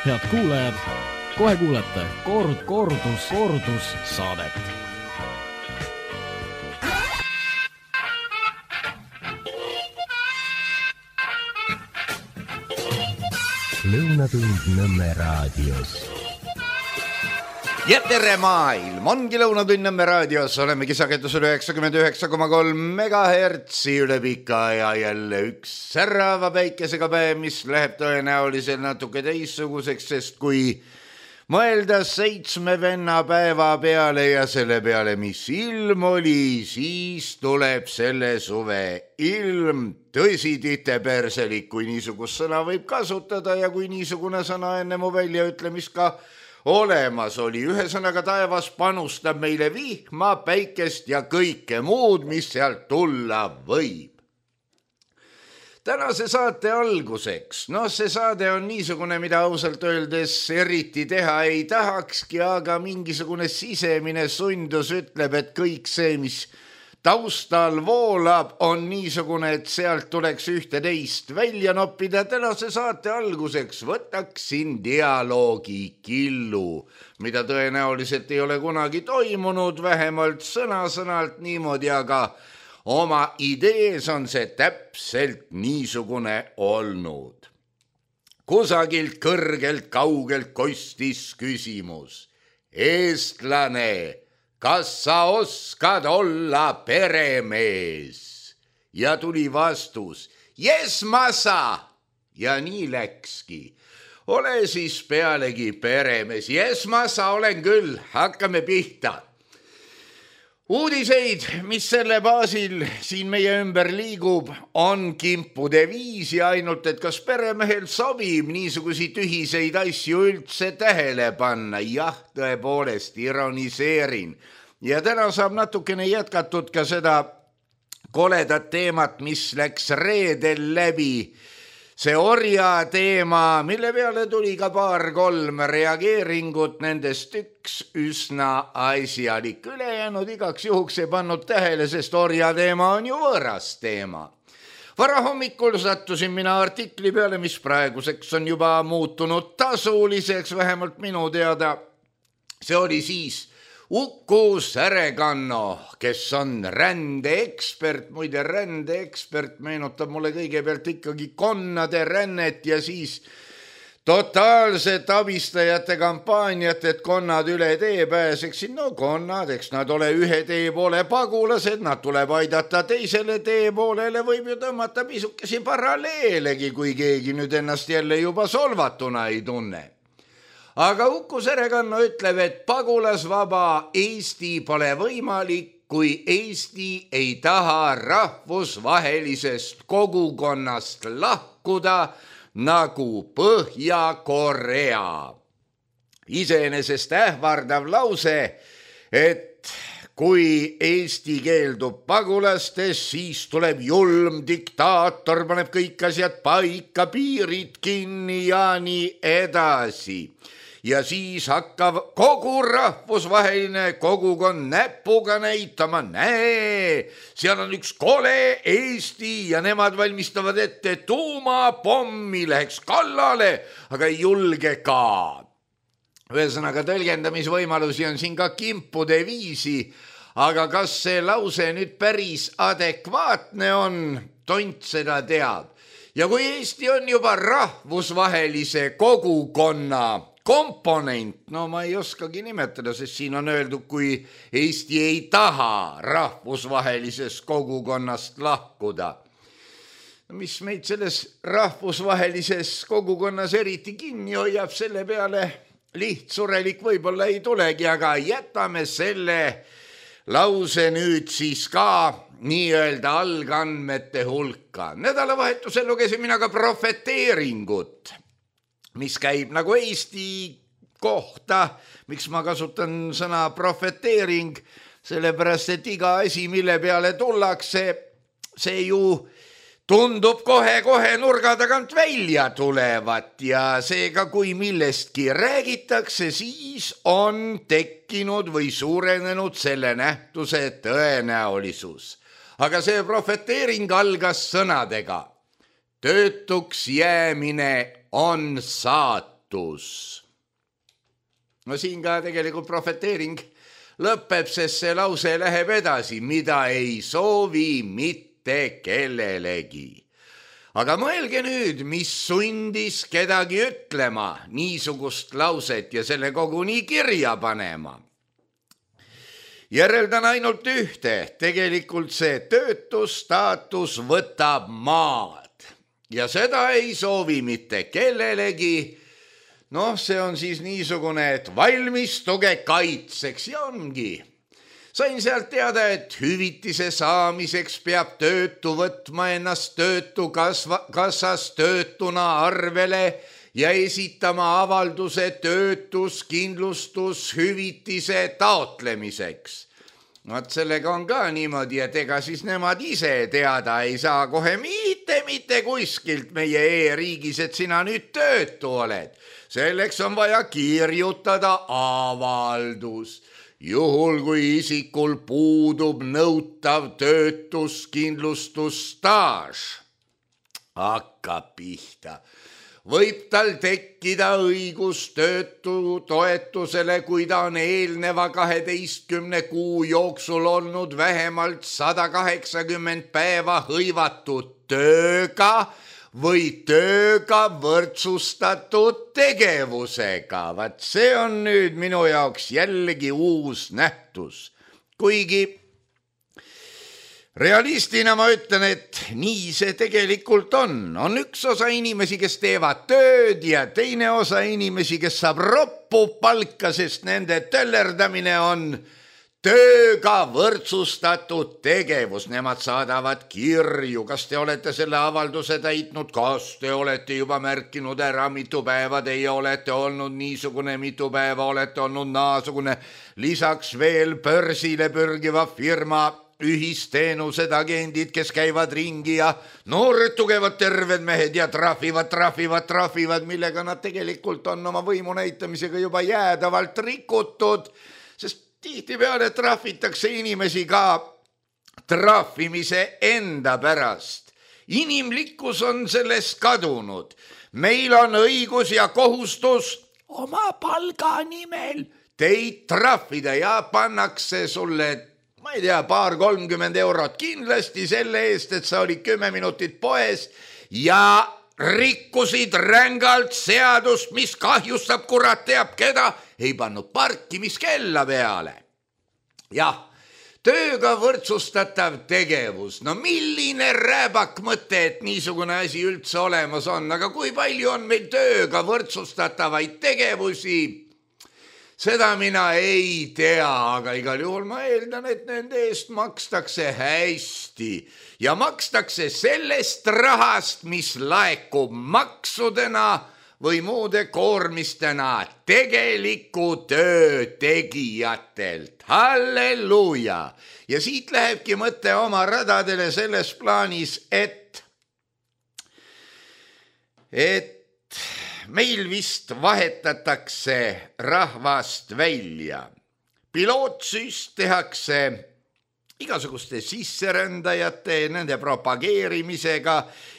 Head kuulajad, kohe kuulete kordus saadet. Lõunatund Nõmme raadios. Ja tere maailm, ongi Lõunatund Nõmme raadios, olemegi sagedusel 99,3 MHz üle pika ja jälle üks särava päikesega päev, mis läheb tõenäoliselt natuke teistsuguseks, sest kui mõelda 7 venna päeva peale ja selle peale, mis ilm oli, siis tuleb selle suve ilm. Tõsi, titeperselik, kui niisugust sõna võib kasutada ja kui niisugune sõna enne mu väljaütlemist ka olemas oli. Ühesõnaga taevas panustab meile vihma, päikest ja kõike muud, mis sealt tulla võib. Tänase saate alguseks, see saade on niisugune, mida ausalt öeldes eriti teha ei tahakski, aga mingisugune sisemine sundus ütleb, et kõik see, mis taustal voolab, on niisugune, et sealt tuleks ühte teist välja noppida. Tänase saate alguseks võtaksin dialoogi killu, mida tõenäoliselt ei ole kunagi toimunud, vähemalt sõna-sõnalt niimoodi, aga oma idees on see täpselt niisugune olnud. Kusagilt kõrgelt kaugelt kostis küsimus. Eestlane, kas sa oskad olla peremees? Ja tuli vastus, jes ma sa. Ja nii läkski. Ole siis pealegi peremees. Jes ma sa olen küll, hakkame pihta. Uudiseid, mis selle baasil siin meie ümber liigub, on kimpude viisi, ainult et kas peremehel sobib niisugusi tühiseid asju üldse tähele panna. Jah, tõepoolest, ironiseerin. Ja täna saab natukene jätkatud ka seda koledat teemat, mis läks reedel läbi. See orja teema, mille peale tuli ka 2-3 reageeringut, nendest üks üsna asjalik. Ülejäänud igaks juhuks ei pannud tähele, sest orja teema on ju võõras teema. Varahommikul sattusin mina artikli peale, mis praeguseks on juba muutunud tasuliseks, vähemalt minu teada. See oli siis Uku Särekanno, kes on rändeekspert, muide rändeekspert meenutab mulle kõigepealt ikkagi konnade rännet ja siis totaalset abistajate kampaaniat, et konnad üle tee pääseksid. Konnad, eks nad ole ühe tee poole pagulased, nad tuleb aidata teisele tee poolele, võib ju tõmmata pisukesi paralleelegi, kui keegi nüüd ennast jälle juba solvatuna ei tunne. Aga Uku Särekanno ütleb, et pagulasvaba Eesti pole võimalik, kui Eesti ei taha rahvusvahelisest kogukonnast lahkuda nagu Põhja-Korea. Iseenesest ähvardav lause, et kui Eesti keeldub pagulastest, siis tuleb julm diktaator, paneb kõik asjad paika, piirid kinni ja nii edasi. Ja siis hakkab kogu rahvusvaheline kogukond näpuga näitama, näe, seal on üks kole Eesti ja nemad valmistavad ette tuumapommi, läheks kallale, aga ei julge ka. Ühesõnaga tõlgendamisvõimalusi on siin ka kimpude viisi, aga kas see lause nüüd päris adekvaatne on, tont seda teab. Ja kui Eesti on juba rahvusvahelise kogukonna komponent, ma ei oskagi nimetada, sest siin on öeldud, kui Eesti ei taha rahvusvahelisest kogukonnast lahkuda. Mis meid selles rahvusvahelises kogukonnas eriti kinni hoiab, selle peale lihtsurelik võib-olla ei tulegi, aga jätame selle lause nüüd siis ka nii-öelda algandmete hulka. Nädalavahetusel lugesin mina ka profeteeringut, mis käib nagu Eesti kohta. Miks ma kasutan sõna profeteering? Sellepärast, et iga asi, mille peale tullakse, see ju tundub kohe nurga tagant välja tulevat ja seega, kui millestki räägitakse, siis on tekkinud või suurenenud selle nähtuse tõenäolisus. Aga see profeteering algas sõnadega. Töötuks jäämine on saatus. hõivatus. No siin ka tegelikult prohveteering lõpeb, sest see lause läheb edasi, mida ei soovi mitte kellelegi. Aga mõelge nüüd, mis sundis kedagi ütlema niisugust lauset ja selle koguni kirja panema. Järeldan ainult ühte, tegelikult see töötustaatus võtab maad ja seda ei soovi mitte kellelegi. Noh, see on siis niisugune, et valmistuge kaitseks ja ongi. Sain sealt teada, et hüvitise saamiseks peab töötu võtma ennast töötukassas töötuna arvele ja esitama avalduse töötuskindlustushüvitise taotlemiseks. Vaat sellega on ka niimoodi, et ega siis nemad ise teada ei saa kohe mitte kuskilt meie e-riigis, et sina nüüd töötu oled. Selleks on vaja kirjutada avaldus. Juhul kui isikul puudub nõutav töötuskindlustusstaaž, hakkab pihta. Võib tal tekkida õigus töötutoetusele, kui ta on eelneva 12 kuu jooksul olnud vähemalt 180 päeva hõivatud tööga või tööga võrdsustatud tegevusega. Vaat see on nüüd minu jaoks jällegi uus nähtus. Kuigi realistina ma ütlen, et nii see tegelikult on. On üks osa inimesi, kes teevad tööd ja teine osa inimesi, kes saab roppu palka, sest nende töllerdamine on tööga võrdsustatud tegevus. Nemad saadavad kirju, kas te olete selle avalduse täitnud, kas te olete juba märkinud ära, mitu päeva teie olete olnud niisugune, mitu päeva olete olnud naasugune. Lisaks veel börsile pürgiva firma ühisteenused agendid, kes käivad ringi ja noored tugevad terved mehed ja trahvivad, millega nad tegelikult on oma võimu näitamisega juba jäädavalt rikutud, sest tihtipeale trahvitakse inimesi ka trahvimise enda pärast. Inimlikkus on sellest kadunud. Meil on õigus ja kohustus oma palga nimel teid trahvida ja pannakse sulle, ma ei tea, 20-30 eurot kindlasti selle eest, et sa olid 10 minutit poes ja rikkusid rängalt seadust, mis kahjustab kurat teab keda, ei pannud parkimiskella peale. Jah, tööga võrdsustatav tegevus. No milline rääbak mõte, et niisugune asi üldse olemas on, aga kui palju on meil tööga võrdsustatavaid tegevusi? Seda mina ei tea, aga igal juhul ma eeldan, et nende eest makstakse hästi ja makstakse sellest rahast, mis laekub maksudena või muude koormistena tegeliku töö tegijatelt. Halleluuja! Ja siit lähebki mõte oma radadele selles plaanis, et meil vist vahetatakse rahvast välja. Pilootsüst tehakse igasuguste sisserändajate, nende propageerimisega,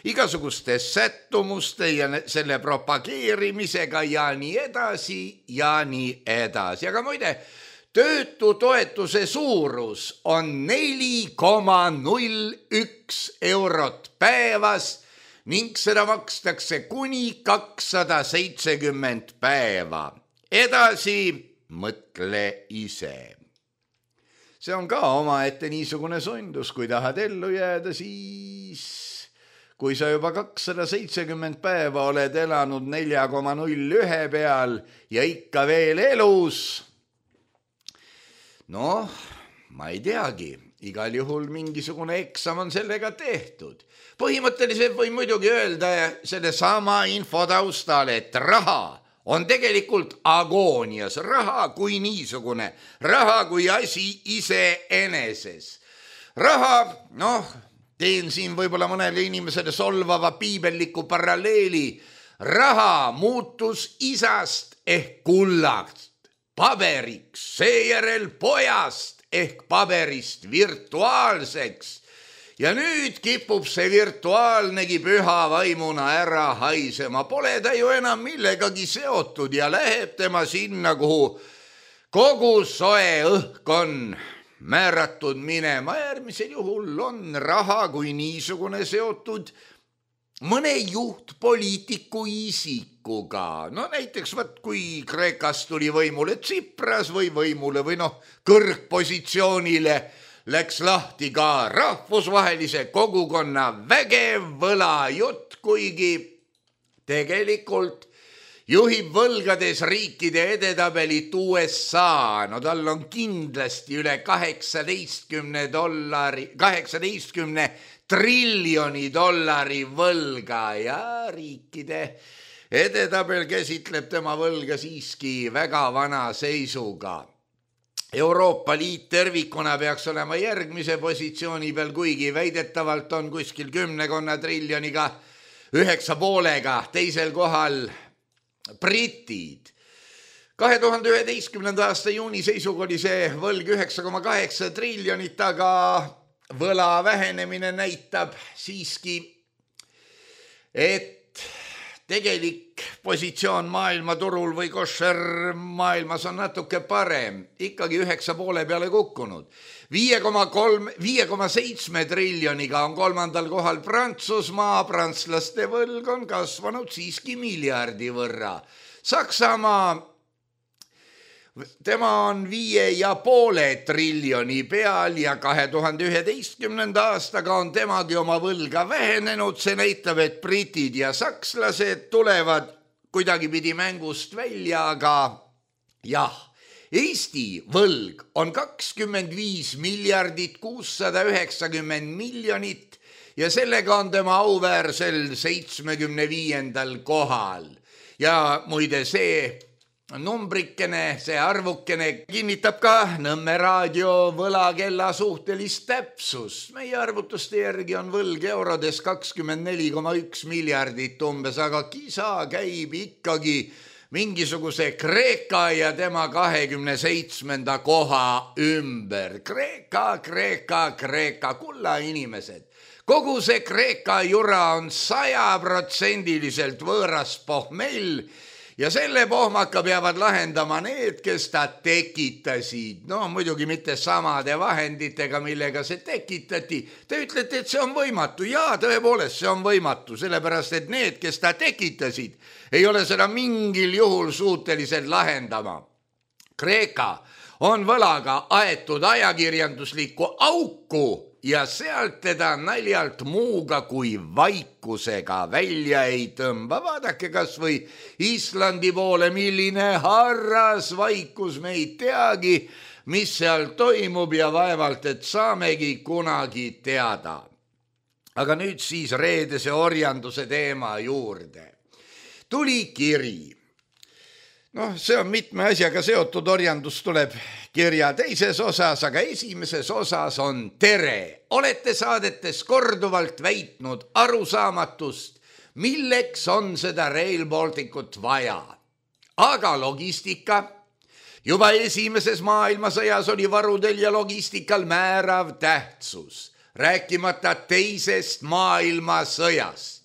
igasuguste sättumuste ja selle propageerimisega ja nii edasi ja nii edasi. Aga muide, töötutoetuse suurus on 4,01 eurot päevas ning seda makstakse kuni 270 päeva. Edasi mõtle ise. See on ka omaette niisugune sundus, kui tahad ellu jääda, siis kui sa juba 270 päeva oled elanud 4,01 peal ja ikka veel elus, noh, ma ei teagi, igal juhul mingisugune eksam on sellega tehtud. Põhimõtteliselt või muidugi öelda selle sama info taustal, et raha on tegelikult agoonias, raha kui niisugune, raha kui asi iseeneses. Raha, noh, teen siin võib-olla mõnele inimesele solvava piibelliku paralleeli, raha muutus isast ehk kullast paberiks, seejärel pojast ehk paberist virtuaalseks ja nüüd kipub see virtuaalnegi püha vaimuna ära haisema. Pole ta ju enam millegagi seotud ja läheb tema sinna, kuhu kogu soe õhk on määratud minema. Äärmisel juhul on raha kui niisugune seotud mõne juhtpoliitiku isikuga. No näiteks kui Kreekas tuli võimule Tsipras või kõrgpositsioonile läks lahti ka rahvusvahelise kogukonna vägev võlajutt, kuigi tegelikult juhib võlgades riikide edetabelit USA. No tal on kindlasti üle 18 triljoni dollari võlga ja riikide edetabel käsitleb tema võlga siiski väga vana seisuga. Euroopa Liit tervikuna peaks olema järgmise positsiooni peal, kuigi väidetavalt on kuskil 10 triljoniga 9,5 teisel kohal britid. 2011. aasta juuni seisuga oli see võlg 9,8 triljonit, aga võla vähenemine näitab siiski, et tegelik positsioon maailmaturul või koššer maailmas on natuke parem, ikkagi 9,5 peale kukkunud. 5,7 triljoniga on 3. kohal Prantsusmaa, prantslaste võlg on kasvanud siiski miljardi võrra. Saksamaa, tema on 5,5 triljoni peal ja 2011. aastaga on temagi oma võlga vähenenud. See näitab, et britid ja sakslased tulevad kuidagipidi mängust välja, aga jah, Eesti võlg on 25 miljardit 690 miljonit ja sellega on tema auväärsel 75. kohal. Ja muide see numbrikene, see arvukene kinnitab ka Nõmme raadio võlakella suhtelist täpsust. Meie arvutuste järgi on võlg eurodes 24,1 miljardit umbes, aga kisa käib ikkagi mingisuguse Kreeka ja tema 27. koha ümber. Kreeka, kulla inimesed. Kogu see Kreeka jura on 100% võõras pohmell ja selle pohmaka peavad lahendama need, kes ta tekitasid. No muidugi mitte samade vahenditega, millega see tekitati. Te ütlete, et see on võimatu. Jaa, tõepoolest, see on võimatu, sellepärast, et need, kes ta tekitasid, ei ole seda mingil juhul suutelised lahendama. Kreeka on võlaga aetud ajakirjanduslikku auku ja sealt teda naljalt muuga kui vaikusega välja ei tõmba. Vaadake kas või Islandi poole, milline harras vaikus, me ei teagi, mis seal toimub ja vaevalt, et saamegi kunagi teada. Aga nüüd siis reedese orjanduse teema juurde. Tuli kiri. See on mitme asjaga seotud, orjandus tuleb kirja teises osas, aga esimeses osas on tere. Olete saadetes korduvalt väitnud arusaamatust, milleks on seda Rail Balticut vaja. Aga logistika, juba esimeses maailmasõjas oli varudel ja logistikal määrav tähtsus, rääkimata teisest maailmasõjast.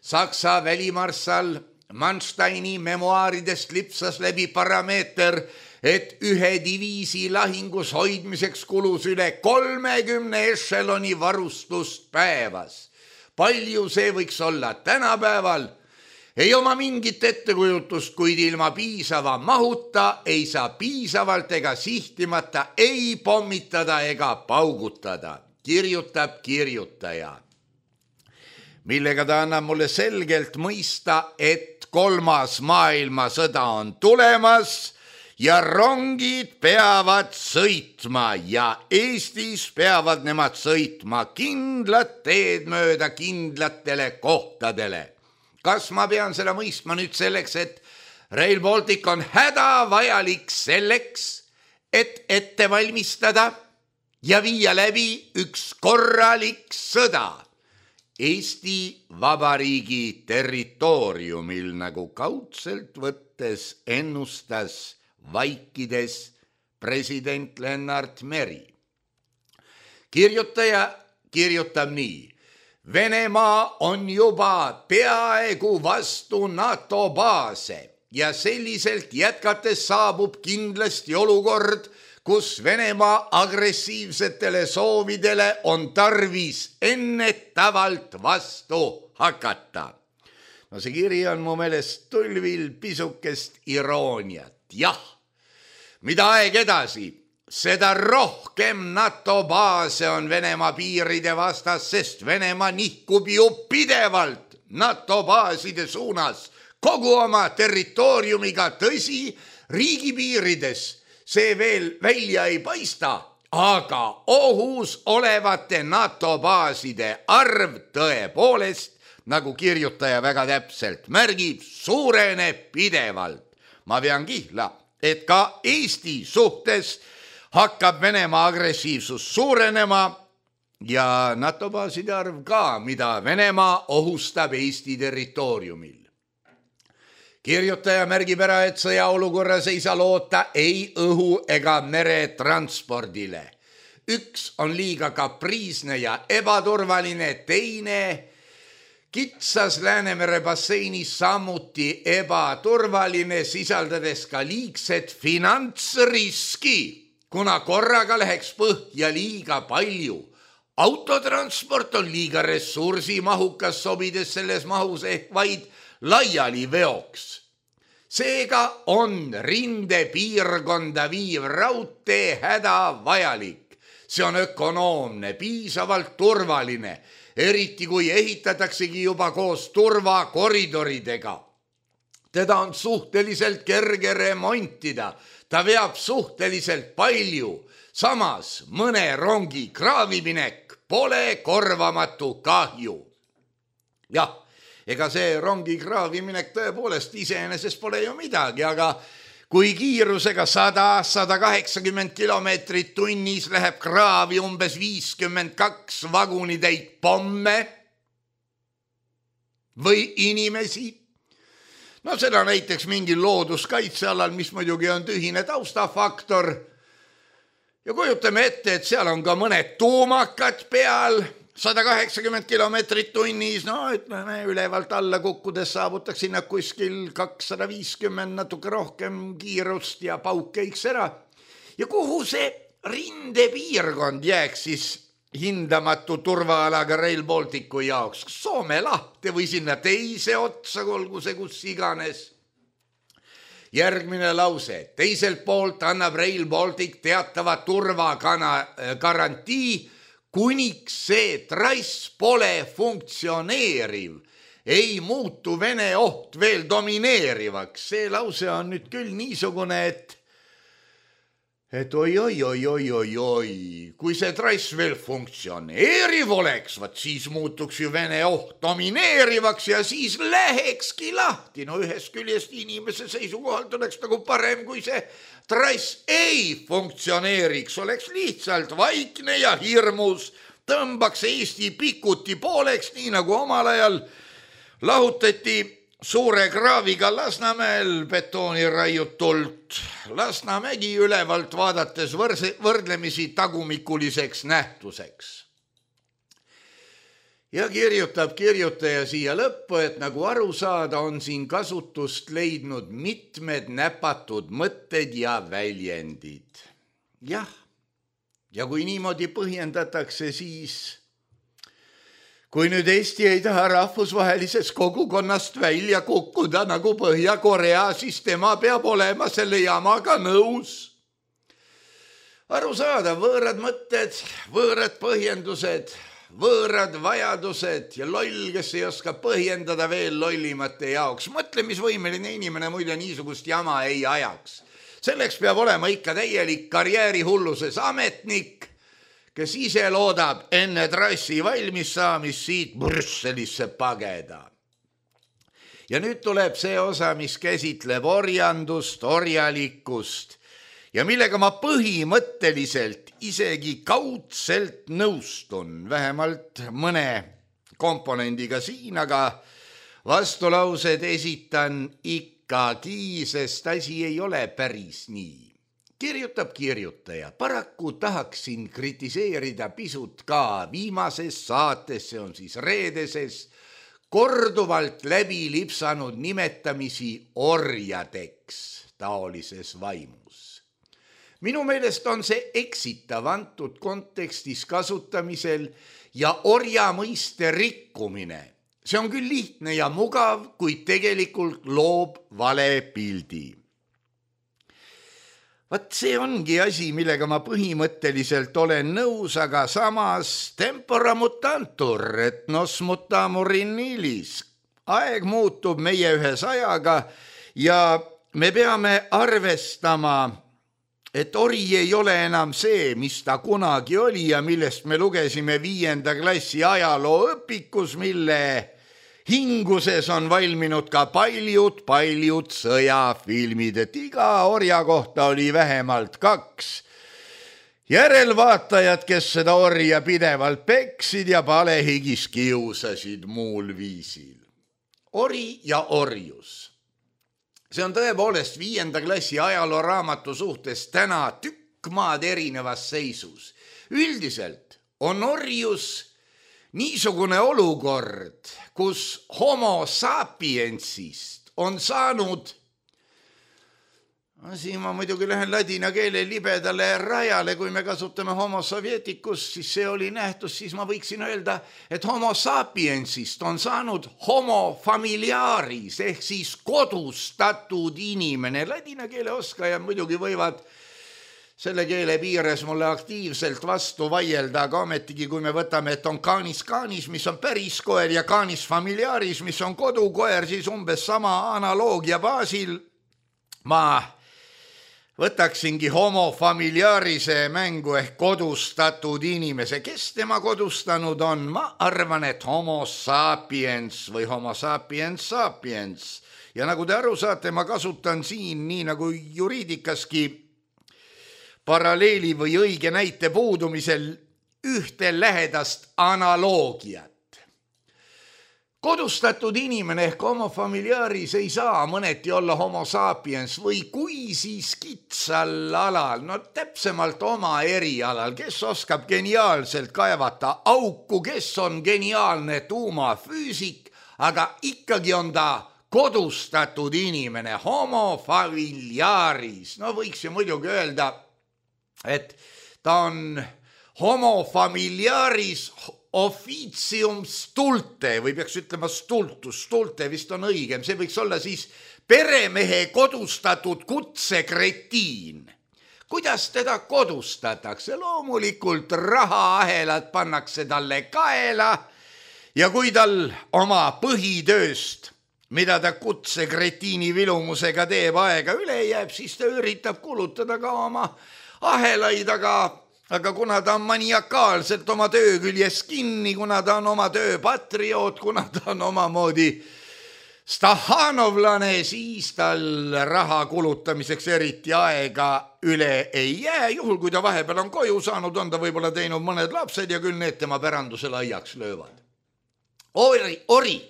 Saksa välimarssal Mansteini memuaaridest lipsas läbi parameeter, et ühe diviisi lahingus hoidmiseks kulus üle 30 ešeloni varustust päevas. Palju see võiks olla tänapäeval? Ei oma mingit ettekujutust, kuid ilma piisava mahuta ei saa piisavalt ega sihtimata ei pommitada ega paugutada, kirjutab kirjutaja. Millega ta annab mulle selgelt mõista, et 3. maailmasõda on tulemas ja rongid peavad sõitma ja Eestis peavad nemad sõitma kindlat teed mööda kindlatele kohtadele. Kas ma pean seda mõistma nüüd selleks, et Rail Baltic on hädavajalik selleks, et ette valmistada ja viia läbi üks korralik sõda Eesti Vabariigi territooriumil, nagu kaudselt võttes ennustas vaikides president Lennart Meri. Kirjutaja kirjutab nii. Venemaa on juba peaaegu vastu NATO baase ja selliselt jätkates saabub kindlasti olukord, kus Venemaa agressiivsetele soovidele on tarvis ennetavalt vastu hakata. No see kiri on mu meelest tulvil pisukest irooniat. Jah, mida aeg edasi, seda rohkem NATO baase on Venemaa piiride vastas, sest Venemaa nihkub ju pidevalt NATO baaside suunas kogu oma territooriumiga. Tõsi, riigipiirides see veel välja ei paista, aga ohus olevate NATO baaside arv tõepoolest, nagu kirjutaja väga täpselt märgib, suureneb pidevalt. Ma pean kihla, et ka Eesti suhtes hakkab Venemaa agressiivsus suurenema ja NATO baaside arv ka, mida Venemaa ohustab Eesti territooriumil. Kirjutaja märgib ära, et sõjaolukorras ei saa loota ei õhu ega meretranspordile. Üks on liiga kapriisne ja ebaturvaline, teine kitsas Läänemere basseinis samuti ebaturvaline, sisaldades ka liigset finantsriski, kuna korraga läheks põhja liiga palju. Autotransport on liiga ressursimahukas, sobides selles mahus ehk vaid laiali veoks. Seega on rindepiirkonda viiv raudtee hädavajalik. See on ökonoomne, piisavalt turvaline, eriti kui ehitataksegi juba koos turvakoridoridega. Teda on suhteliselt kerge remontida, ta veab suhteliselt palju, samas mõne rongi kraaviminek pole korvamatu kahju. Jah, ega see rongi kraaviminek tõepoolest iseenesest pole ju midagi, aga kui kiirusega 100-180 kilomeetrit tunnis läheb kraavi umbes 52 vagunitäit pomme või inimesi, no seda näiteks mingil looduskaitsealal, mis muidugi on tühine taustafaktor. Ja kujutame ette, et seal on ka mõned tuumakad peal, 180 kilomeetrit tunnis, no ütleme ülevalt alla kukkudes saavutaks sinna kuskil 250, natuke rohkem kiirust ja pauk käiks ära. Ja kuhu see rindepiirkond jääks siis hindamatu turvaalaga Rail Balticu jaoks? Soome lahte või sinna teise otsa, olgu see kus iganes. Järgmine lause. Teiselt poolt annab Rail Baltic teatava turvagarantii, kuniks see trass pole funktsioneeriv, ei muutu Vene oht veel domineerivaks. See lause on nüüd küll niisugune, et oi, kui see trass veel funktsioneeriv oleks, siis muutuks ju Vene oht domineerivaks ja siis lähekski lahti. No ühest küljest inimese seisukohalt oleks nagu parem, kui see trass ei funktsioneeriks, oleks lihtsalt vaikne ja hirmus, tõmbaks Eesti pikuti pooleks, nii nagu omal ajal lahutati suure kraaviga Lasnamäel betooni raiutult. Lasnamägi ülevalt vaadates võrdlemisi tagumikuliseks nähtuseks. Ja kirjutab kirjutaja siia lõppu, et nagu aru saada, on siin kasutust leidnud mitmed näpatud mõtted ja väljendid. Jah, ja kui niimoodi põhjendatakse, siis kui nüüd Eesti ei taha rahvusvahelisest kogukonnast välja kukkuda nagu Põhja-Korea, siis tema peab olema selle jamaga nõus. Aru saada, võõrad mõtted, võõrad põhjendused, võõrad vajadused ja loll, kes ei oska põhjendada veel lollimate jaoks. Mõtlemisvõimeline inimene muide niisugust jama ei ajaks. Selleks peab olema ikka täielik karjäärihulluses ametnik, kes ise loodab enne trassi valmis saamist siit Brüsselisse pageda. Ja nüüd tuleb see osa, mis käsitleb orjandust, orjalikkust ja millega ma põhimõtteliselt isegi kaudselt nõustun, vähemalt mõne komponendiga siin, aga vastulaused esitan ikkagi, sest asi ei ole päris nii. kirjutab kirjutaja. Paraku tahaksin kritiseerida pisut ka viimases saates, see on siis reedeses, korduvalt läbi lipsanud nimetamisi orjadeks taolises vaimus. Minu meelest on see eksitav antud kontekstis kasutamisel ja orja mõiste rikkumine. See on küll lihtne ja mugav, kuid tegelikult loob vale pildi. Vaat see ongi asi, millega ma põhimõtteliselt olen nõus, aga samas tempora mutantur, et nos mutamur in illis. Aeg muutub meie ühes ajaga ja me peame arvestama, et ori ei ole enam see, mis ta kunagi oli ja millest me lugesime 5. klassi ajalooõpikus, mille hinguses on valminud ka paljud sõjafilmid, et iga orja kohta oli vähemalt 2 järelvaatajad, kes seda orja pidevalt peksid ja palehigis kiusasid muul viisil. Ori ja orjus. See on tõepoolest 5. klassi ajalooraamatu suhtes täna tükk maad erinevas seisus. Üldiselt on orjus niisugune olukord, kus homo sapiensist on saanud, siin ma muidugi lähen ladina keele libedale rajale, kui me kasutame homo sovieticus, siis see oli nähtus, siis ma võiksin öelda, et homo sapiensist on saanud homo familiaris ehk siis kodustatud inimene. Ladina keele oskajad muidugi võivad selle keele piires mulle aktiivselt vastu vaielda, aga ometigi, kui me võtame, et on canis canis, mis on päris koer ja canis familiaris, mis on kodukoer, siis umbes sama analoogia baasil ma võtaksingi homo familiarise mängu ehk kodustatud inimese. Kes tema kodustanud on? Ma arvan, et homo sapiens või homo sapiens sapiens. Ja nagu te aru saate, ma kasutan siin nii nagu juriidikaski paralleeli või õige näite puudumisel ühte lähedast analoogiat. Kodustatud inimene ehk homo familiaris ei saa mõneti olla homo sapiens või kui siis kitsal alal, no täpsemalt oma erialal, kes oskab geniaalselt kaevata auku, kes on geniaalne tuumafüüsik, aga ikkagi on ta kodustatud inimene, homo familiaris. No võiks ju muidugi öelda, et ta on homo familiaris officium stulte või peaks ütlema stultus, stulte vist on õigem, see võiks olla siis peremehe kodustatud kutsekretiin. Kuidas teda kodustatakse? Loomulikult rahaahelad pannakse talle kaela ja kui tal oma põhitööst, mida ta kutsekretiini vilumusega teeb, aega üle jääb, siis ta üritab kulutada ka oma ahelaid, aga kuna ta on maniakaalselt oma töö küljes kinni, kuna ta on oma töö patrioot, kuna ta on omamoodi stahanovlane, siis tal raha kulutamiseks eriti aega üle ei jää. Juhul, kui ta vahepeal on koju saanud, on ta võib-olla teinud mõned lapsed ja küll need tema pärandusele aiaks löövad. Ori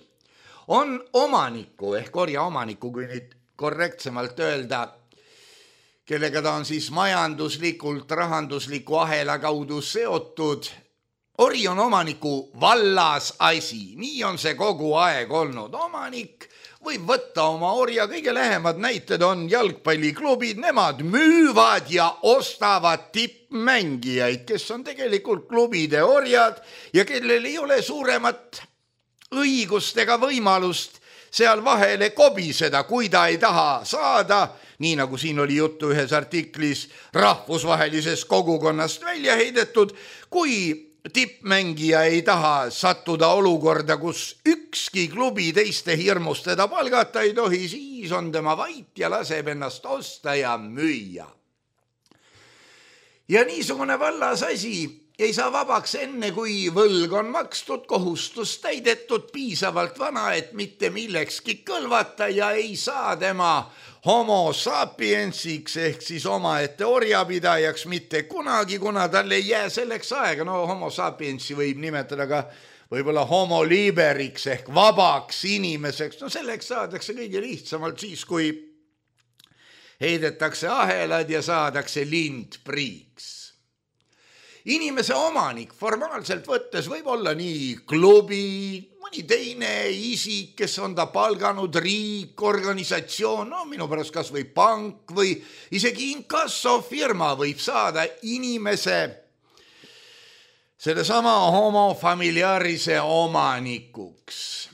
on omaniku ehk orja omaniku, kui nüüd korrektsemalt öelda, kellega ta on siis majanduslikult, rahandusliku ahela kaudu seotud. Ori on omaniku vallas asi, nii on see kogu aeg olnud. Omanik võib võtta oma orja, kõige lähemad näited on jalgpalliklubid, nemad müüvad ja ostavad tippmängijaid, kes on tegelikult klubide orjad ja kellel ei ole suuremat õigust ega võimalust seal vahele kobiseda, kui ta ei taha saada, nii nagu siin oli juttu ühes artiklis, rahvusvahelisest kogukonnast välja heidetud, kui tippmängija ei taha sattuda olukorda, kus ükski klubi teiste hirmust teda palgata ei tohi, siis on tema vait ja laseb ennast osta ja müüa. Ja niisugune vallas asi ei saa vabaks enne, kui võlg on makstud, kohustus täidetud, piisavalt vana, et mitte millekski kõlvata ja ei saa tema homo sapiensiks ehk siis omaette orjapidajaks mitte kunagi, kuna tal ei jää selleks aega. No homo sapiensi võib nimetada ka võib-olla homo liberiks ehk vabaks inimeseks. No selleks saadakse kõige lihtsamalt siis, kui heidetakse ahelad ja saadakse lindpriiks. Inimese omanik formaalselt võttes võib olla nii klubi, mõni teine isik, kes on ta palganud, riik, organisatsioon, no minu pärast kas või pank või isegi inkassofirma võib saada inimese sellesama homo familiarise omanikuks.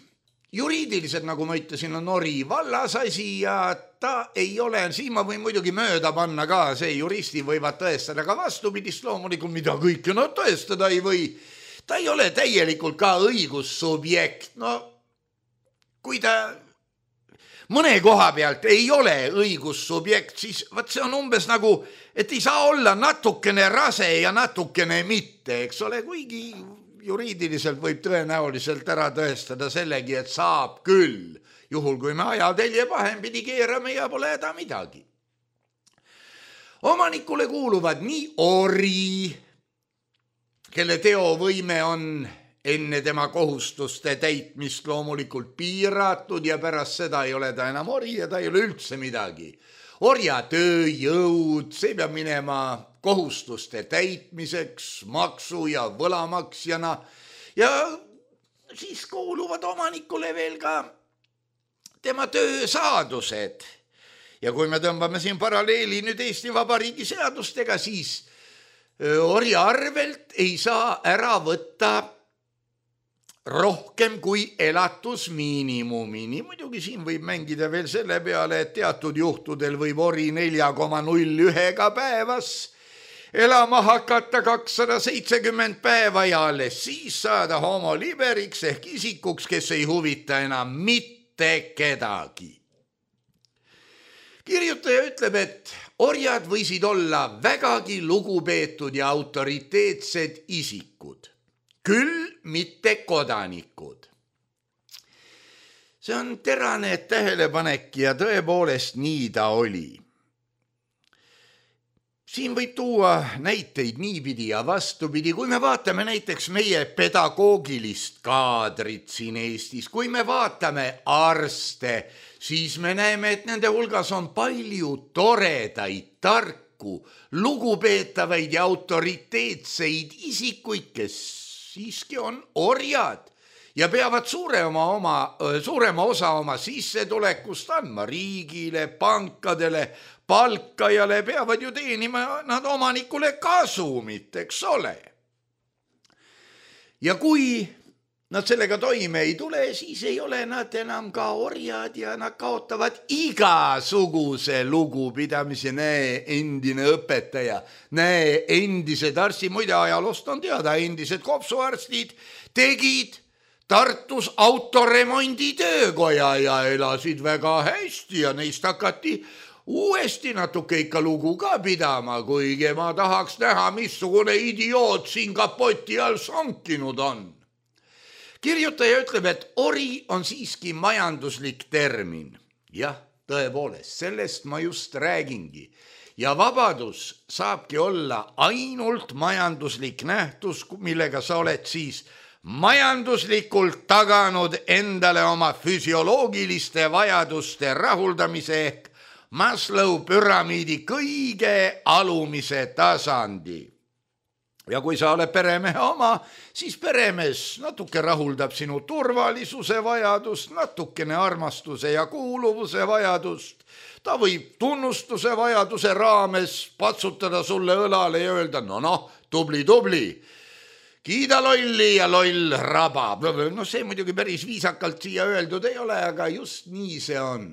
Juriidiliselt, nagu ma ütlesin, on Ori vallasasi ja ta ei ole, siin ma võin muidugi mööda panna ka, see juristi võivad tõestada ka vastupidist loomulikult, mida kõike nad tõestada ei või. Ta ei ole täielikult ka õigussubjekt, no kui ta mõne koha pealt ei ole õigussubjekt, siis vaat see on umbes nagu, et ei saa olla natukene rase ja natukene mitte, eks ole, kuigi juriidiliselt võib tõenäoliselt ära tõestada sellegi, et saab küll, juhul kui me ajatelje pahempidi keerame ja pole häda midagi. Omanikule kuuluvad nii ori, kelle teovõime on enne tema kohustuste täitmist loomulikult piiratud ja pärast seda ei ole ta enam ori ja ta ei ole üldse midagi. Orja tööjõud, see peab minema kohustuste täitmiseks, maksu ja võlamaksjana ja siis kuuluvad omanikule veel ka tema töösaadused. Ja kui me tõmbame siin paralleeli nüüd Eesti Vabariigi seadustega, siis orja arvelt ei saa ära võtta rohkem kui elatusmiinimumi. Nii muidugi siin võib mängida veel selle peale, et teatud juhtudel võib ori 4,01 päevas elama hakata 270 päeva ja alles siis saada homo liberiks ehk isikuks, kes ei huvita enam mitte kedagi. Kirjutaja ütleb, et orjad võisid olla vägagi lugupeetud ja autoriteetsed isikud, küll mitte kodanikud. See on terane tähelepanek ja tõepoolest nii ta oli. Siin võib tuua näiteid niipidi ja vastupidi, kui me vaatame näiteks meie pedagoogilist kaadrit siin Eestis, kui me vaatame arste, siis me näeme, et nende hulgas on palju toredaid, tarku, lugupeetavaid ja autoriteetseid isikuid, kes siiski on orjad ja peavad suurema osa oma sissetulekust andma riigile, pankadele, palkajale, peavad ju teenima nad omanikule kasumit, eks ole. Ja kui nad sellega toime ei tule, siis ei ole nad enam ka orjad ja nad kaotavad igasuguse lugupidamise. Näe, endine õpetaja, näe, endised arstid, muide ajaloost on teada, endised kopsuarstid tegid Tartus autoremondi töökoja ja elasid väga hästi ja neist hakati uuesti natuke ikka lugu ka pidama, kuigi ma tahaks näha, missugune idioot siin kapoti all sonkinud on. Kirjutaja ütleb, et ori on siiski majanduslik termin. Jah, tõepoolest, sellest ma just räägingi. Ja vabadus saabki olla ainult majanduslik nähtus, millega sa oled siis majanduslikult taganud endale oma füsioloogiliste vajaduste rahuldamise ehk Maslow püramiidi kõige alumise tasandi. Ja kui sa oled peremehe oma, siis peremees natuke rahuldab sinu turvalisuse vajadust, natukene armastuse ja kuuluvuse vajadust. Ta võib tunnustuse vajaduse raames patsutada sulle õlale ja öelda, no, tubli, kiida lolli ja loll rabab. No see muidugi päris viisakalt siia öeldud ei ole, aga just nii see on.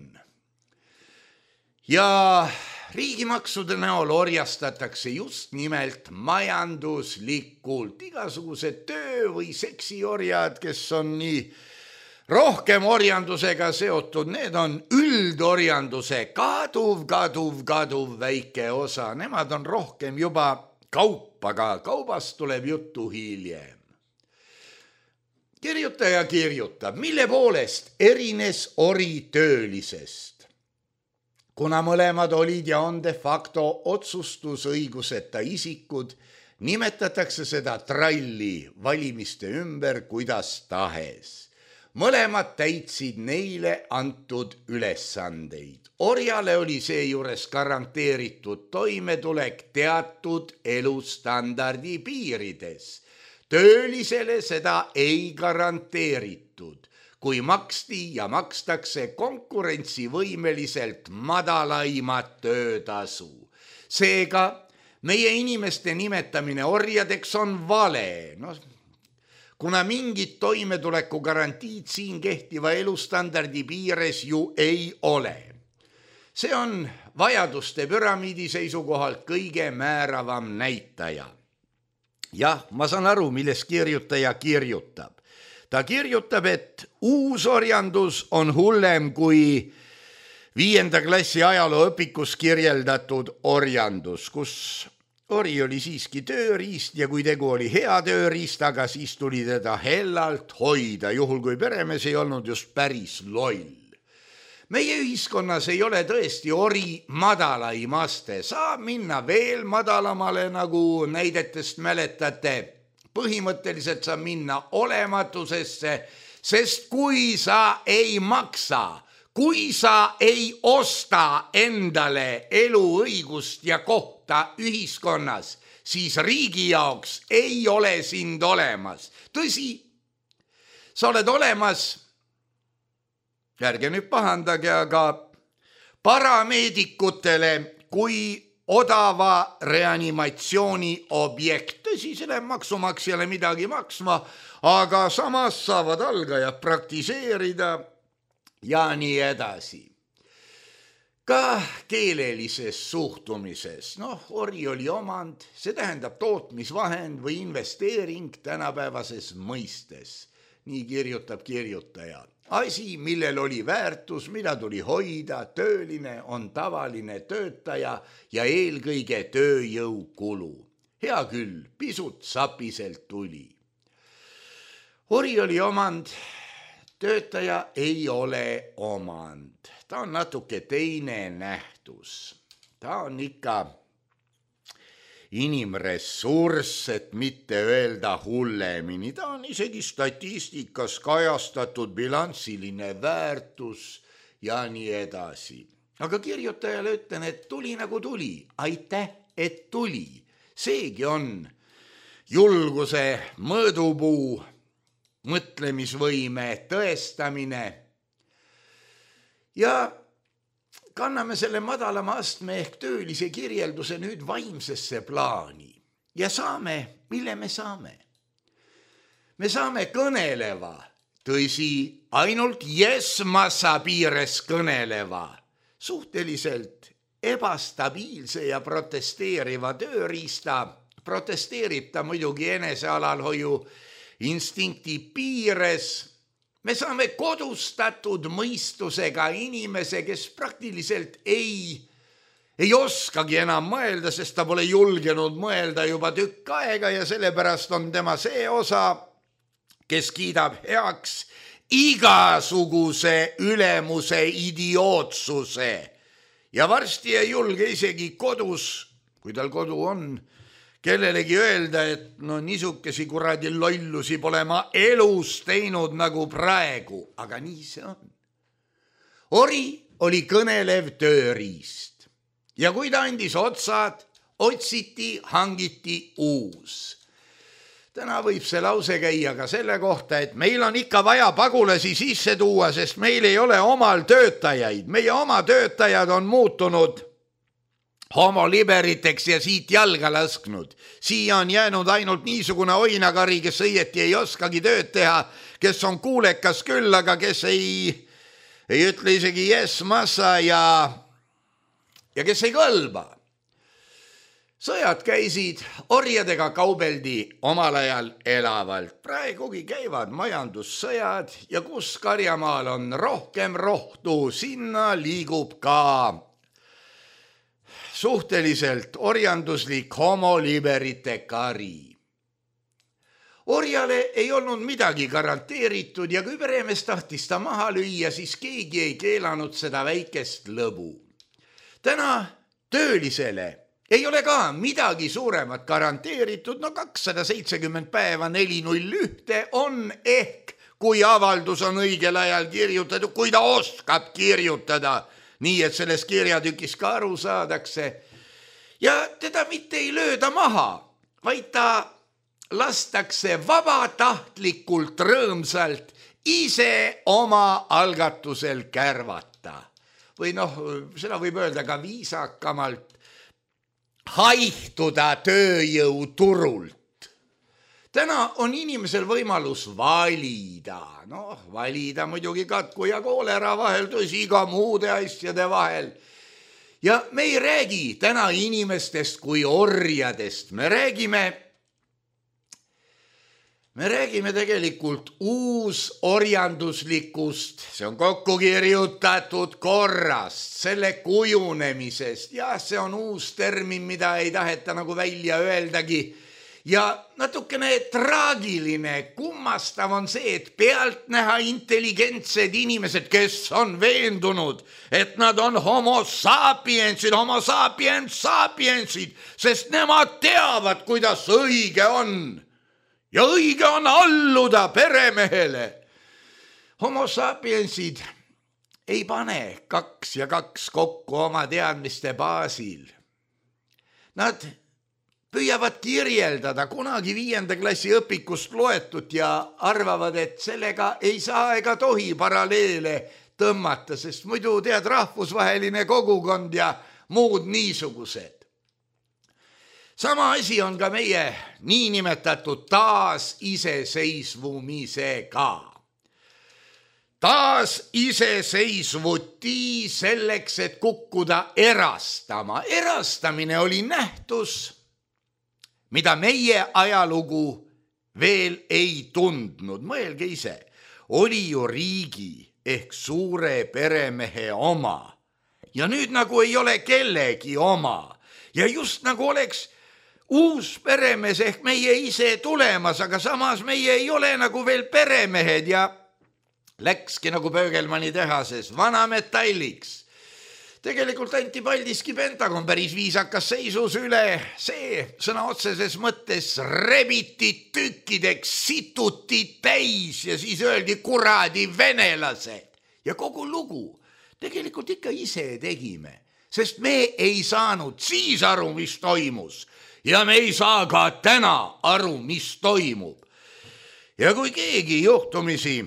Ja riigimaksude näol orjastatakse just nimelt majanduslikult. Igasugused töö- või seksiorjad, kes on nii rohkem orjandusega seotud, need on üldorjanduse kaduv väike osa. Nemad on rohkem juba kaup, aga kaubast tuleb juttu hiljem. Kirjutaja kirjutab, mille poolest erines ori töölisest. Kuna mõlemad olid ja on de facto otsustusõiguseta isikud, nimetatakse seda tralli valimiste ümber kuidas tahes. mõlemad täitsid neile antud ülesandeid. Orjale oli seejuures garanteeritud toimetulek teatud elustandardi piirides. Töölisele seda ei garanteeritud, kui maksti ja makstakse konkurentsivõimeliselt madalaimat töötasu. Seega meie inimeste nimetamine orjadeks on vale, kuna mingit toimetuleku garantiid siin kehtiva elustandardi piires ju ei ole. See on vajaduste püramiidi seisukohalt kõige määravam näitaja. Jah, ma saan aru, milles kirjutaja kirjutab. Ta kirjutab, et uusorjandus on hullem kui 5. klassi ajalooõpikus kirjeldatud orjandus, kus ori oli siiski tööriist ja kui tegu oli hea tööriistaga, siis tuli teda hellalt hoida, juhul kui peremees ei olnud just päris loll. Meie ühiskonnas ei ole tõesti ori madalaim aste, saab minna veel madalamale, nagu näidetest mäletate. Põhimõtteliselt saab minna olematusesse, sest kui sa ei maksa, kui sa ei osta endale eluõigust ja kohta ühiskonnas, siis riigi jaoks ei ole sind olemas. Tõsi, sa oled olemas, ärge nüüd pahandage, aga parameedikutele kui odava reanimatsiooni objekt. Tõsi, selle maksumaksjale midagi maksma, aga samas saavad algajad praktiseerida ja nii edasi. Ka keelelises suhtumises, ori oli omand, see tähendab tootmisvahend või investeering tänapäevases mõistes. Nii kirjutab kirjutaja. Asi, millel oli väärtus, mida tuli hoida, tööline on tavaline töötaja ja eelkõige tööjõukulu. Hea küll, pisut sapiselt tuli. Ori oli omand, töötaja ei ole omand. Ta on natuke teine nähtus. Ta on ikka inimressurss, et mitte öelda hullemini. Ta on isegi statistikas kajastatud bilansiline väärtus ja nii edasi. Aga kirjutajale ütlen, et tuli nagu tuli. Aitäh, et tuli. Seegi on julguse mõõdupuu, mõtlemisvõime tõestamine. Ja kanname selle madalama astme ehk töölise kirjelduse nüüd vaimsesse plaani ja saame, mille me saame? Me saame kõneleva, tõsi, ainult massa piires kõneleva, suhteliselt ebastabiilse ja protesteeriva tööriista. Protesteerib ta muidugi enesealalhoiu instinkti piires. Me saame kodustatud mõistusega inimese, kes praktiliselt ei oskagi enam mõelda, sest ta pole julgenud mõelda juba tükk aega ja sellepärast on tema see osa, kes kiidab heaks igasuguse ülemuse idiootsuse ja varsti ei julge isegi kodus, kui tal kodu on, kellelegi öelda, et niisugesi kuradi lollusi pole ma elus teinud nagu praegu, aga nii see on. Ori oli kõnelev tööriist ja kui ta andis otsad, otsiti, hangiti uus. Täna võib see lause käia ka selle kohta, et meil on ikka vaja pagulasi sisse tuua, sest meil ei ole omal töötajaid. Meie oma töötajad on muutunud homoliberiteks ja siit jalga lasknud. Siia on jäänud ainult niisugune oinakari, kes õieti ei oskagi tööd teha, kes on kuulekas küll, aga kes ei ütle isegi massa ja kes ei kõlba. Sõjad käisid, orjadega kaubeldi omal ajal elavalt. Praegugi käivad majandussõjad ja kus Karjamaal on rohkem rohtu, sinna liigub ka suhteliselt orjanduslik homoliberite kari. Orjale ei olnud midagi garanteeritud ja kui peremees tahtis ta maha lüüa, siis keegi ei keelanud seda väikest lõbu. Täna töölisele ei ole ka midagi suuremat garanteeritud, 270 päeva 401 on ehk kui avaldus on õigel ajal kirjutatud, kui ta oskab kirjutada, nii et sellest kirjatükist ka aru saadakse. Ja teda mitte ei lööda maha, vaid ta lastakse vabatahtlikult rõõmsalt ise oma algatusel kärvata. Või seda võib öelda ka viisakamalt, haihtuda tööjõuturult. Täna on inimesel võimalus valida. Valida muidugi katku ja koolera vahel, tõsi ka muude asjade vahel. Ja me ei räägi täna inimestest kui orjadest. Me räägime tegelikult uusorjanduslikust, see on kokku kirjutatud korrast, selle kujunemisest. Ja see on uus termin, mida ei taheta nagu välja öeldagi. Ja natukene traagiline, kummastav on see, et pealtnäha intelligentsed inimesed, kes on veendunud, et nad on homo sapiensid, sest nemad teavad, kuidas õige on. Ja õige on alluda peremehele. Homo sapiensid ei pane 2 ja 2 kokku oma teadmiste baasil. Nad püüavad kirjeldada kunagi 5. klassi õpikust loetud ja arvavad, et sellega ei saa ega tohi paralleele tõmmata, sest muidu tead rahvusvaheline kogukond ja muud niisugused. Sama asi on ka meie niinimetatud taasiseseisvumisega. Taasiseseisvuti selleks, et kukkuda erastama. Erastamine oli nähtus, mida meie ajalugu veel ei tundnud. Mõelge ise, oli ju riigi ehk suure peremehe oma. Ja nüüd nagu ei ole kellegi oma. Ja just nagu oleks uus peremees ehk meie ise tulemas, aga samas meie ei ole nagu veel peremehed ja läkski nagu Pöögelmanni tehases vana metalliks. Tegelikult anti Paldiski Pentagon päris viisakas seisus üle. See sõna otseses mõttes rebiti tükkideks, situti täis ja siis öeldi kuradi venelased. Ja kogu lugu tegelikult ikka ise tegime, sest me ei saanud siis aru, mis toimus. Ja me ei saa ka täna aru, mis toimub. Ja kui keegi juhtumisi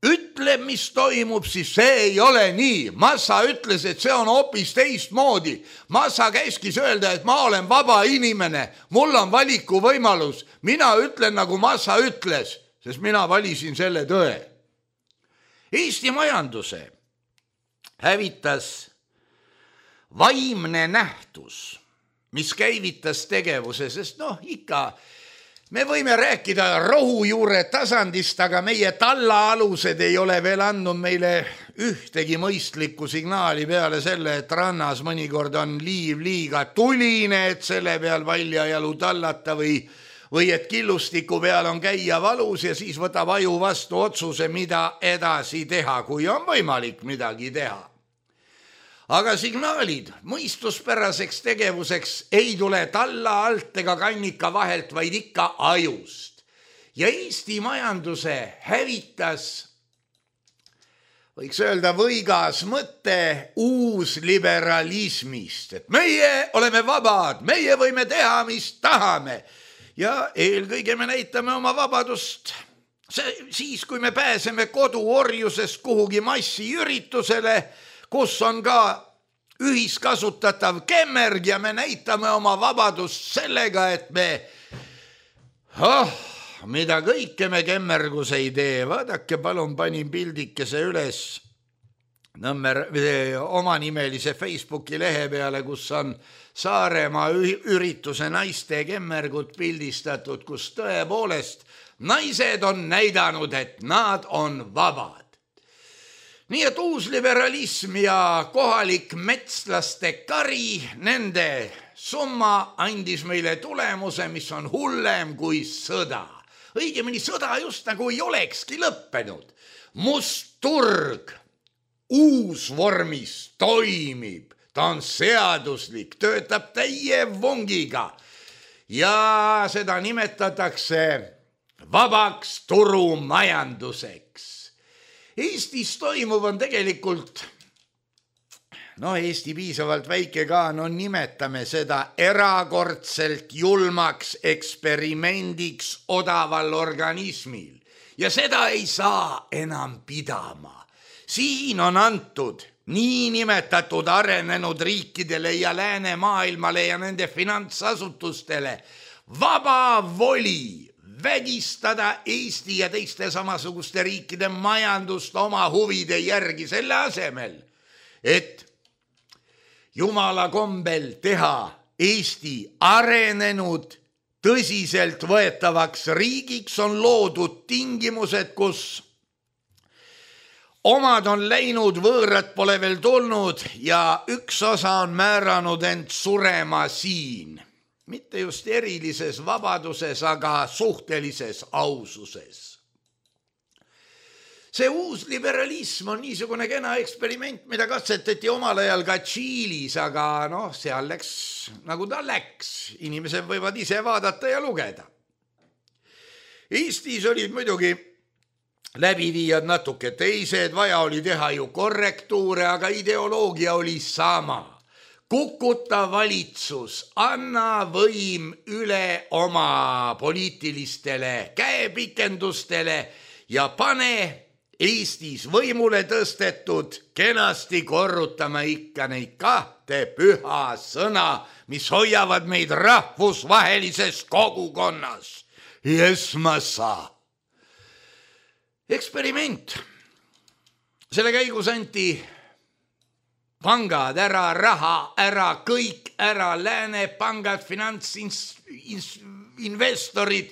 ütleb, mis toimub, siis see ei ole nii. Massa ütles, et see on hoopis teistmoodi. Massa käskis öelda, et ma olen vaba inimene, mul on valiku võimalus. Mina ütlen, nagu Massa ütles, sest mina valisin selle tõe. Eesti majanduse hävitas vaimne nähtus, mis käivitas tegevuse, sest ikka me võime rääkida rohujuure tasandist, aga meie tallaalused ei ole veel andnud meile ühtegi mõistlikku signaali peale selle, et rannas mõnikord on liiv liiga tuline, et selle peal valjajalu tallata või et killustiku peal on käia valus ja siis võtab aju vastu otsuse, mida edasi teha, kui on võimalik midagi teha. Aga signaalid mõistuspäraseks tegevuseks ei tule talla alt ega kannika vahelt, vaid ikka ajust. Ja Eesti majanduse hävitas, võiks öelda võigas mõte uusliberalismist, et meie oleme vabad, meie võime teha, mis tahame. Ja eelkõige me näitame oma vabadust siis, kui me pääseme koduorjusest kuhugi massiüritusele, kus on ka ühiskasutatav kemmerg ja me näitame oma vabadust sellega, et me, mida kõike me kemmergus ei tee. Vaadake, palun panin pildikese üles omanimelise Facebooki lehe peale, kus on Saaremaa ürituse naiste kemmergut pildistatud, kus tõepoolest naised on näidanud, et nad on vabad. Nii et uusliberalism ja kohalik metslaste kari, nende summa andis meile tulemuse, mis on hullem kui sõda. Õigemini sõda just nagu ei olekski lõppenud. Must turg uus vormis toimib, ta on seaduslik, töötab täie vungiga ja seda nimetatakse vabaks turumajanduseks. Eestis toimuv on tegelikult, Eesti piisavalt väike ka, nimetame seda erakordselt julmaks eksperimendiks odaval organismil ja seda ei saa enam pidama. Siin on antud niinimetatud arenenud riikidele ja läänemaailmale ja nende finantsasutustele vaba voli vägistada Eesti ja teiste samasuguste riikide majandust oma huvide järgi selle asemel, et jumala kombel teha Eesti arenenud tõsiselt võetavaks riigiks, on loodud tingimused, kus omad on läinud, võõrad pole veel tulnud ja üks osa on määranud end surema siin. Mitte just erilises vabaduses, aga suhtelises aususes. See uus liberalism on niisugune kena eksperiment, mida katsetati omal ajal ka Tšiilis, aga seal läks nagu ta läks. Inimesed võivad ise vaadata ja lugeda. Eestis olid muidugi läbiviijad natuke teised, vaja oli teha ju korrektuure, aga ideoloogia oli sama. Kukuta valitsus, anna võim üle oma poliitilistele käepikendustele ja pane Eestis võimule tõstetud kenasti korrutama ikka neid kahte püha sõna, mis hoiavad meid rahvusvahelises kogukonnas. Esmasa. Eksperiment. Selle käigus anti pangad ära, raha ära, kõik ära, lääne pangad, finantsinvestorid,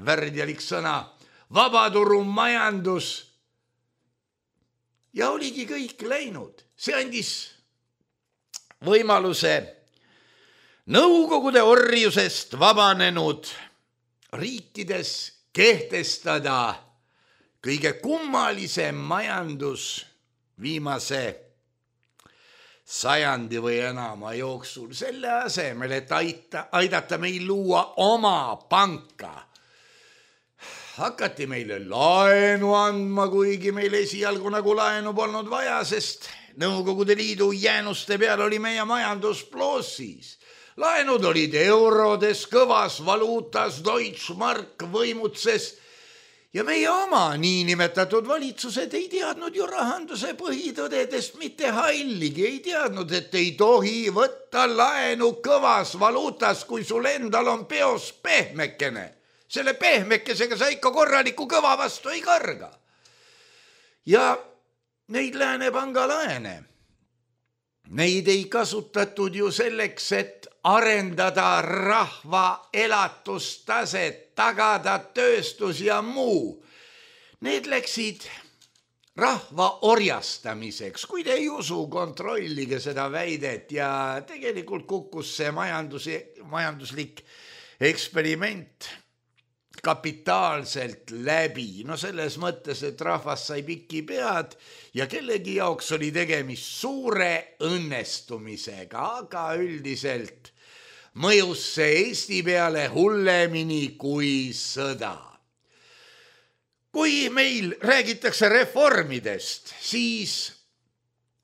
värdjalik sõna, vabaturumajandus ja oligi kõik läinud. See andis võimaluse Nõukogude orjusest vabanenud riikides kehtestada kõige kummalisem majandus viimase sajandi või enama jooksul. Selle asemel, et aidata meil luua oma panka, hakati meile laenu andma, kuigi meil esialgu nagu laenu polnud vaja, sest Nõukogude Liidu jäänuste peal oli meie majandus plossis. Laenud olid eurodes, kõvas valuutas, Deutschmark võimutses ja meie oma niinimetatud valitsused ei teadnud ju rahanduse põhitõdedest mitte halligi, ei teadnud, et ei tohi võtta laenu kõvas valuutas, kui sul endal on peos pehmekene. Selle pehmekesega sa ikka korraliku kõva vastu ei karga. Ja neid Läänepanga laene, neid ei kasutatud ju selleks, et arendada rahva elatustaset, tagada tööstus ja muu. Need läksid rahva orjastamiseks. Kui te ei usu, kontrollige seda väidet ja tegelikult kukkus see majanduslik eksperiment kapitaalselt läbi. Selles mõttes, et rahvas sai pikki pead ja kellegi jaoks oli tegemist suure õnnestumisega, aga üldiselt mõjus see Eesti peale hullemini kui sõda. Kui meil räägitakse reformidest, siis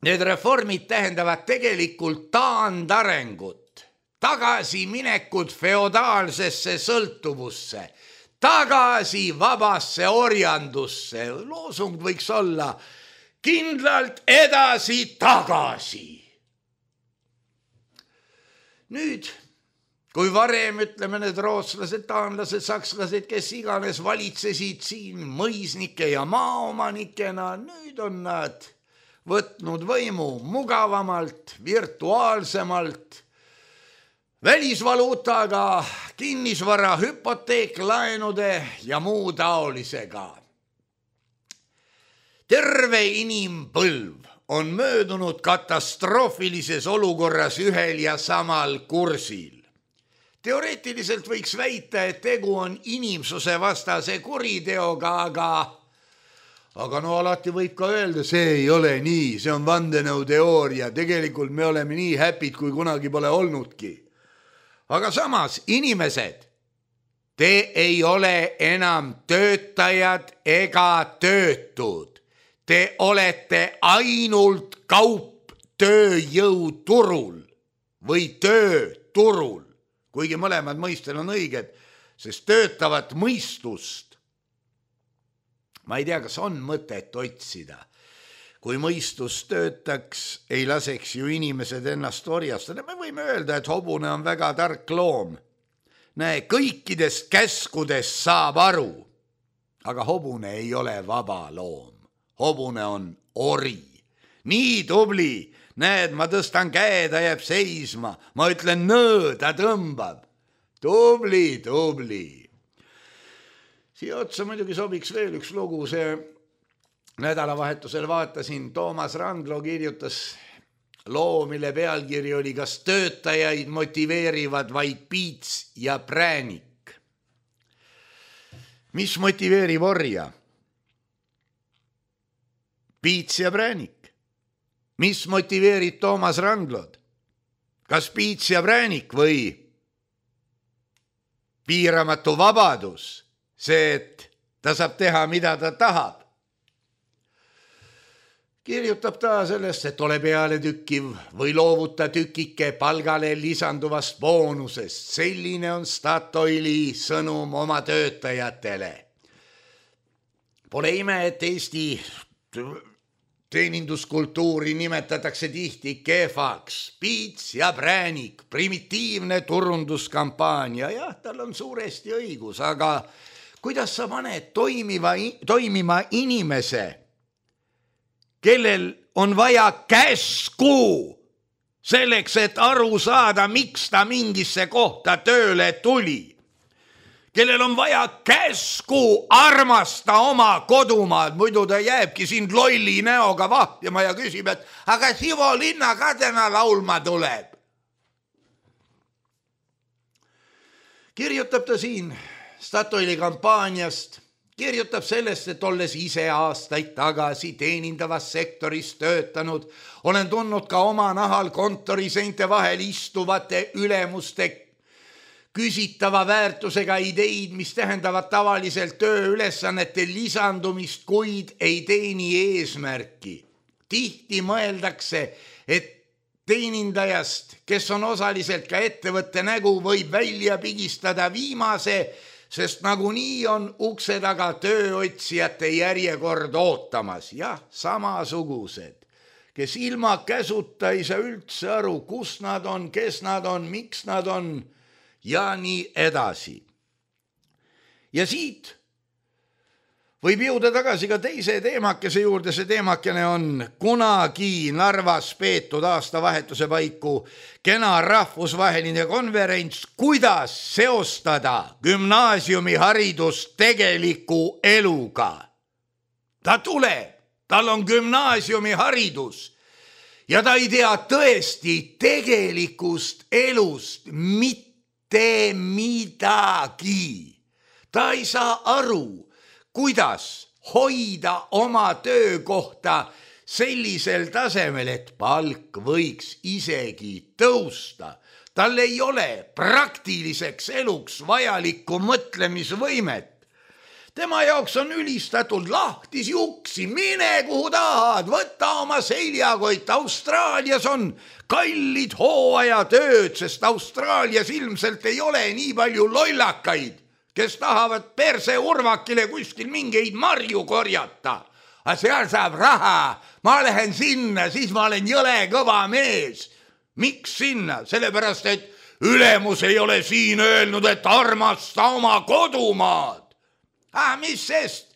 need reformid tähendavad tegelikult taandarengut, tagasiminekut feodaalsesse sõltuvusse, tagasi vabasse orjandusse. Loosung võiks olla kindlalt edasi tagasi. Nüüd, kui varem, ütleme, need rootslased, taanlased, sakslased, kes iganes valitsesid siin mõisnike ja maaomanikena, nüüd on nad võtnud võimu mugavamalt, virtuaalsemalt, välisvaluutaga, kinnisvara, hüpoteeklaenude ja muu taolisega. Terve inimpõlv on möödunud katastroofilises olukorras ühel ja samal kursil. Teoreetiliselt võiks väita, et tegu on inimsuse vastase kuriteoga, aga alati võib ka öelda, see ei ole nii, see on vandenõuteooria, tegelikult me oleme nii häpid, kui kunagi pole olnudki. Aga samas inimesed te ei ole enam töötajad ega töötud. Te olete ainult kaup tööjõuturul või tööturul, kuigi mõlemad mõistel on õiged, sest töötavat mõistust, ma ei tea, kas on mõtet otsida. Kui mõistus töötaks, ei laseks ju inimesed ennast orjastada. Me võime öelda, et hobune on väga tark loom. Näe, kõikidest käskudest saab aru, aga hobune ei ole vaba loom. Hobune on ori. Nii tubli, näed, ma tõstan käe, ta jääb seisma. Ma ütlen nõõ, ta tõmbab. Tubli. Siia otsa muidugi sobiks veel üks lugu, see nädalavahetusel vaatasin, Toomas Randlo kirjutas loo, mille pealkiri oli Kas töötajaid motiveerivad vaid piits ja präänik? Mis motiveerib orja? Piits ja präänik. Mis motiveerib Toomas Randlod? Kas piits ja präänik või piiramatu vabadus? See, et ta saab teha, mida ta tahab. Kirjutab ta sellest, et ole peale tükkiv või loovuta tükike palgale lisanduvast boonusest. Selline on Statoili sõnum oma töötajatele. Pole ime, et Eesti teeninduskultuuri nimetatakse tihti kehvaks. Piits ja präänik, primitiivne turunduskampaania. Jah, tal on suuresti õigus, aga kuidas sa paned toimima inimese, kellel on vaja käsku selleks, et aru saada, miks ta mingisse kohta tööle tuli. Kellel on vaja käsku armasta oma kodumaad, muidu ta jääbki sind lolli näoga vahtima ja küsib, et aga Sivo Linna ka täna laulma tuleb. Kirjutab ta siin Statoili kampaaniast, kirjutab sellest, et olles ise aastaid tagasi teenindavas sektoris töötanud, olen tundnud ka oma nahal kontoriseinte vahel istuvate ülemuste küsitava väärtusega ideid, mis tähendavad tavaliselt tööülesannete lisandumist, kuid ei teeni eesmärki. Tihti mõeldakse, et teenindajast, kes on osaliselt ka ettevõtte nägu, võib välja pigistada viimase, sest nagunii on ukse taga tööotsijate järjekord ootamas. Jah, samasugused, kes ilma käsuta ei saa üldse aru, kus nad on, kes nad on, miks nad on ja nii edasi. Ja siit võib jõuda tagasi ka teise teemakese juurde. See teemakene on kunagi Narvas peetud aastavahetuse paiku kena rahvusvaheline konverents, kuidas seostada gümnaasiumiharidust tegeliku eluga. Ta tuleb, tal on gümnaasiumiharidus ja ta ei tea tõesti tegelikust elust mitte midagi. Ta ei saa aru, kuidas hoida oma töökohta sellisel tasemel, et palk võiks isegi tõusta. Tal ei ole praktiliseks eluks vajalikku mõtlemisvõimet. Tema jaoks on ülistatud lahtis juksi, mine kuhu tahad, võta oma seljakott. Austraalias on kallid hooajatööd, sest Austraalias ilmselt ei ole nii palju lollakaid, kes tahavad perse urvakile kuskil mingeid marju korjata. Aga seal saab raha, ma lähen sinna, siis ma olen jõle kõva mees. Miks sinna? Sellepärast, et ülemus ei ole siin öelnud, et armasta oma kodumaad. Mis sest?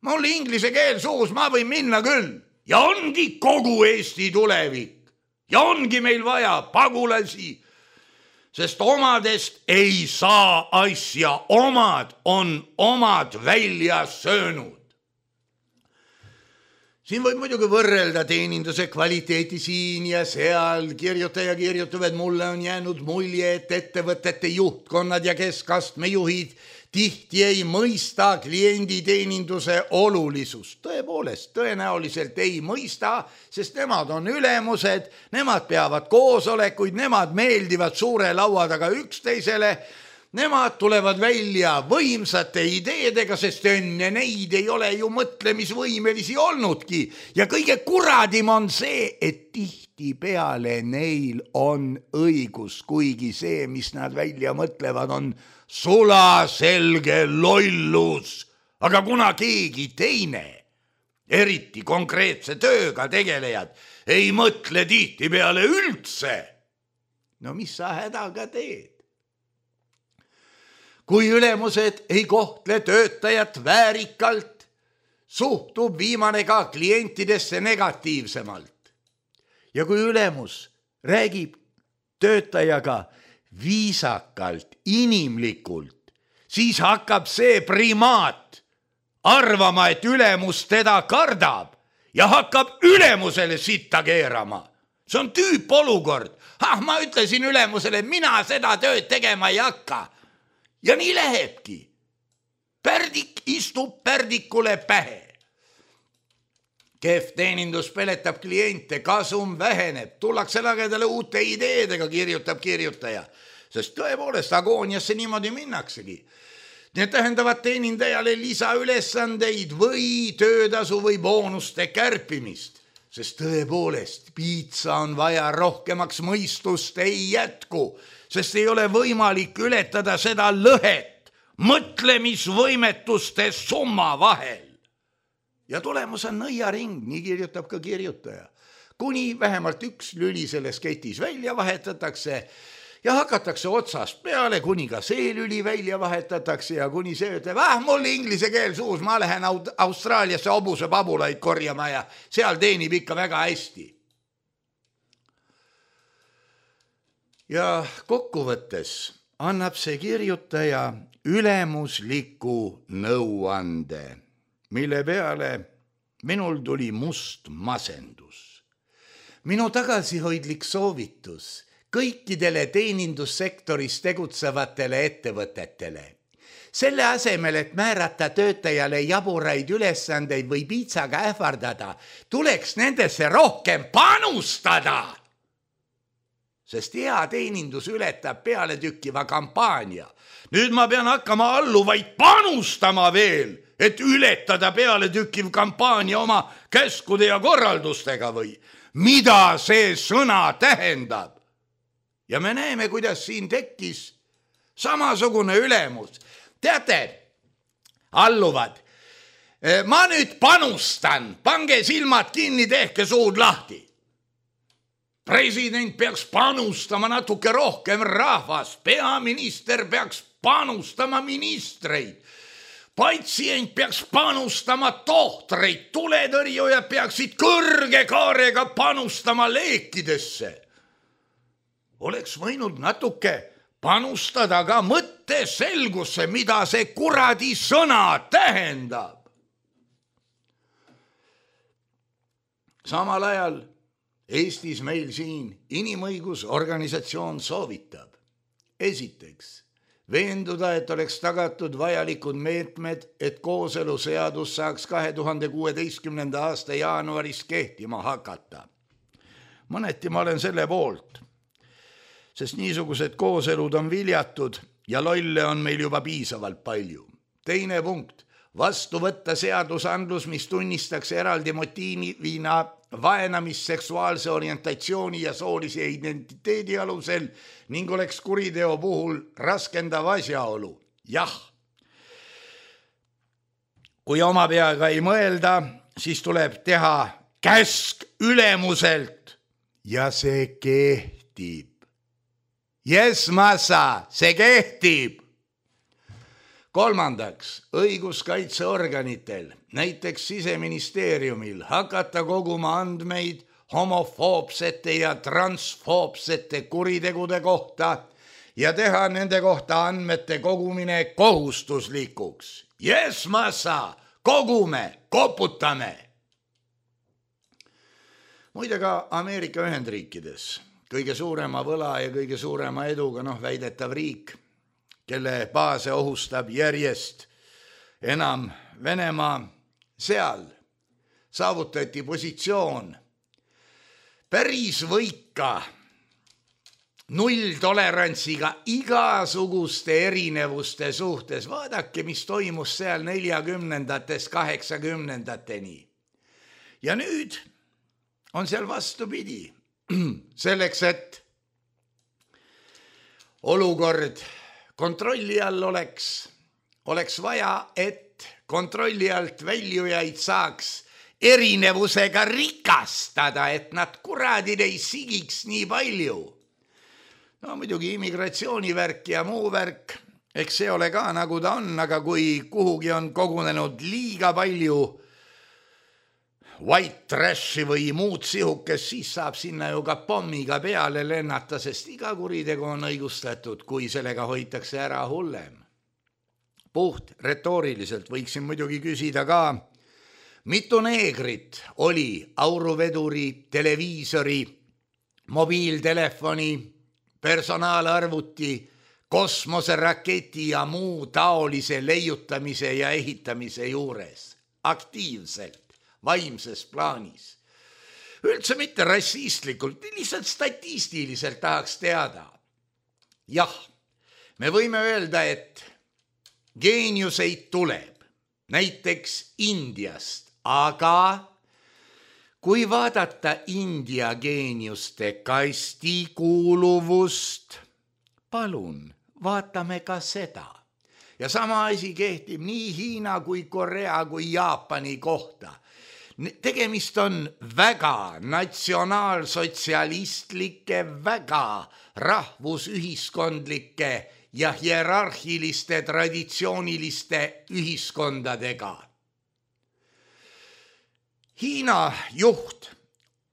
Mul inglise keel suus, ma võin minna küll. Ja ongi kogu Eesti tulevik. Ja ongi meil vaja pagulasi, sest omadest ei saa asja, omad on omad välja söönud. Siin võib muidugi võrrelda teeninduse kvaliteeti siin ja seal. Kirjutaja kirjutab, et mulle on jäänud mulje, et ettevõtete juhtkonnad ja keskastme juhid tihti ei mõista klienditeeninduse olulisust. Tõepoolest, tõenäoliselt ei mõista, sest nemad on ülemused, nemad peavad koosolekuid, nemad meeldivad suure laua taga üksteisele. Nemad tulevad välja võimsate ideedega, sest enne neid ei ole ju mõtlemisvõimelisi olnudki. Ja kõige kuradim on see, et tihtipeale neil on õigus, kuigi see, mis nad välja mõtlevad, on sulaselge lollus. Aga kuna keegi teine, eriti konkreetse tööga tegelejad, ei mõtle tihtipeale üldse, no mis sa hädaga teed? Kui ülemused ei kohtle töötajat väärikalt, suhtub viimane ka klientidesse negatiivsemalt. Ja kui ülemus räägib töötajaga viisakalt, inimlikult, siis hakkab see primaat arvama, et ülemus teda kardab ja hakkab ülemusele sitta keerama. See on tüüpolukord. Ma ütlesin ülemusele, mina seda tööd tegema ei hakka. Ja nii lähebki. Pärdik istub pärdikule pähe. Kehv teenindus peletab kliente, kasum väheneb, tullakse lagedale uute ideedega, kirjutab kirjutaja. Sest tõepoolest agooniasse niimoodi minnaksegi. Need tähendavad teenindajale lisaülesandeid või töötasu või boonuste kärpimist. Sest tõepoolest piitsa on vaja rohkemaks, mõistust ei jätku, sest ei ole võimalik ületada seda lõhet mõtlemisvõimetuste summa vahel. Ja tulemus on nõiaring, nii kirjutab ka kirjutaja. Kuni vähemalt üks lüli selles ketis välja vahetatakse ja hakatakse otsast peale, kuni ka see lüli välja vahetatakse ja kuni see ütleb, mul inglise keel suus, ma lähen Austraaliasse hobuse pabulaid korjama ja seal teenib ikka väga hästi. Ja kokkuvõttes annab see kirjutaja ülemusliku nõuande, mille peale minul tuli must masendus. Minu tagasihoidlik soovitus kõikidele teenindussektoris tegutsevatele ettevõtetele. Selle asemel, et määrata töötajale jaburaid ülesandeid või piitsaga ähvardada, tuleks nendesse rohkem panustada. Sest hea teenindus ületab pealetükkiva kampaania. Nüüd ma pean hakkama alluvaid panustama veel, et ületada pealetükkiv kampaania oma käskude ja korraldustega või mida see sõna tähendab. Ja me näeme, kuidas siin tekkis samasugune ülemus. Teate, alluvad, ma nüüd panustan, pange silmad kinni, tehke suud lahti. President peaks panustama natuke rohkem rahvast, peaminister peaks panustama ministreid, patsient peaks panustama tohtreid, tuletõrjujad peaksid kõrge kaarega panustama leekidesse. Oleks võinud natuke panustada ka mõtteselgusse, mida see kuradi sõna tähendab. Samal ajal Eestis meil siin inimõigusorganisatsioon soovitab. Esiteks, veenduda, et oleks tagatud vajalikud meetmed, et kooseluseadus saaks 2016. aasta jaanuaris kehtima hakata. Mõneti ma olen selle poolt, sest niisugused kooselud on viljatud ja lolle on meil juba piisavalt palju. Teine punkt, vastu võtta seadusandlus, mis tunnistaks eraldi motiivina vaenamist seksuaalse orientatsiooni ja soolise identiteedi alusel ning oleks kuriteo puhul raskendav asjaolu. Jah, kui oma peaga ei mõelda, siis tuleb teha käsk ülemuselt ja see kehtib. Yes, massa, see kehtib. Kolmandaks, õiguskaitseorganitel, näiteks Siseministeeriumil, hakata koguma andmeid homofoobsete ja transfoobsete kuritegude kohta ja teha nende kohta andmete kogumine kohustuslikuks. Yes, massa, kogume, koputame. Muide ka Ameerika Ühendriikides, kõige suurema võla ja kõige suurema eduga väidetav riik, kelle baase ohustab järjest enam Venemaa, seal saavutati positsioon päris võika nulltolerantsiga igasuguste erinevuste suhtes. Vaadake, mis toimus seal 40-ndatest 80-ndateni. Ja nüüd on seal vastupidi. Selleks, et olukord kontrolli all oleks vaja, et kontrolli alt väljujaid saaks erinevusega rikastada, et nad kuradid ei sigiks nii palju. No muidugi immigratsioonivärk ja muu värk, eks see ole ka nagu ta on, aga kui kuhugi on kogunenud liiga palju white trashi või muud sihukest, siis saab sinna ju ka pommiga peale lennata, sest iga kuritegu on õigustatud, kui sellega hoitakse ära hullem. Puht retooriliselt võiksin muidugi küsida ka, mitu neegrit oli auruveduri, televiisori, mobiiltelefoni, personaalarvuti, kosmoseraketi ja muu taolise leiutamise ja ehitamise juures aktiivselt, vaimses plaanis. Üldse mitte rassistlikult, lihtsalt statistiliselt tahaks teada. Jah, me võime öelda, et geeniuseid tuleb, näiteks Indiast, aga kui vaadata India geeniuste kasti kuuluvust, palun, vaatame ka seda. Ja sama asi kehtib nii Hiina kui Korea kui Jaapani kohta. Tegemist on väga natsionaalsotsialistlike, väga rahvusühiskondlike ja hierarhiliste traditsiooniliste ühiskondadega. Hiina juht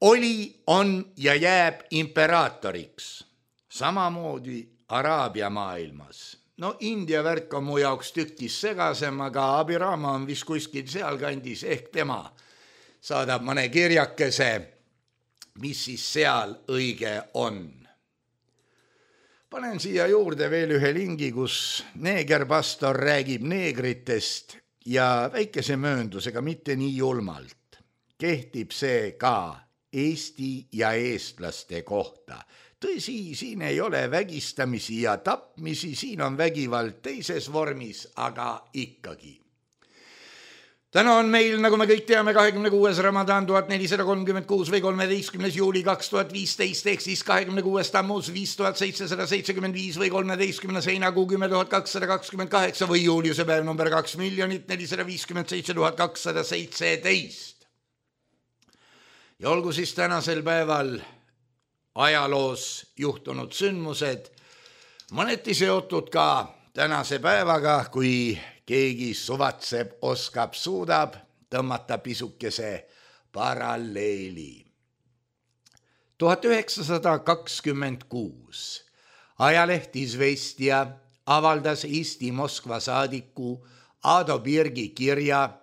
oli, on ja jääb imperaatoriks, samamoodi Araabia maailmas. No India värk on mu jaoks tükis segasem, aga Abirama on vist kuskil sealkandis, ehk tema saadab mõne kirjakese, mis siis seal õige on. Panen siia juurde veel ühe lingi, kus neegerpastor räägib neegritest ja väikese mööndusega, mitte nii julmalt. Kehtib see ka Eesti ja eestlaste kohta. Tõsi, siin ei ole vägistamisi ja tapmisi, siin on vägivald teises vormis, aga ikkagi. Täna on meil, nagu me kõik teame, 26. Ramadan 1436 või 13. juuli 2015, ehk siis 26. tammus 5775 või 13. heinakuu 10228 või juuliuse päev number 2 457 217. Ja olgu siis tänasel päeval ajaloos juhtunud sündmused, mõneti seotud ka tänase päevaga, kui keegi suvatseb, oskab, suudab tõmmata pisukese paralleeli. 1926 ajaleht Izvestia avaldas Eesti Moskva saadiku Ado Birgi kirja,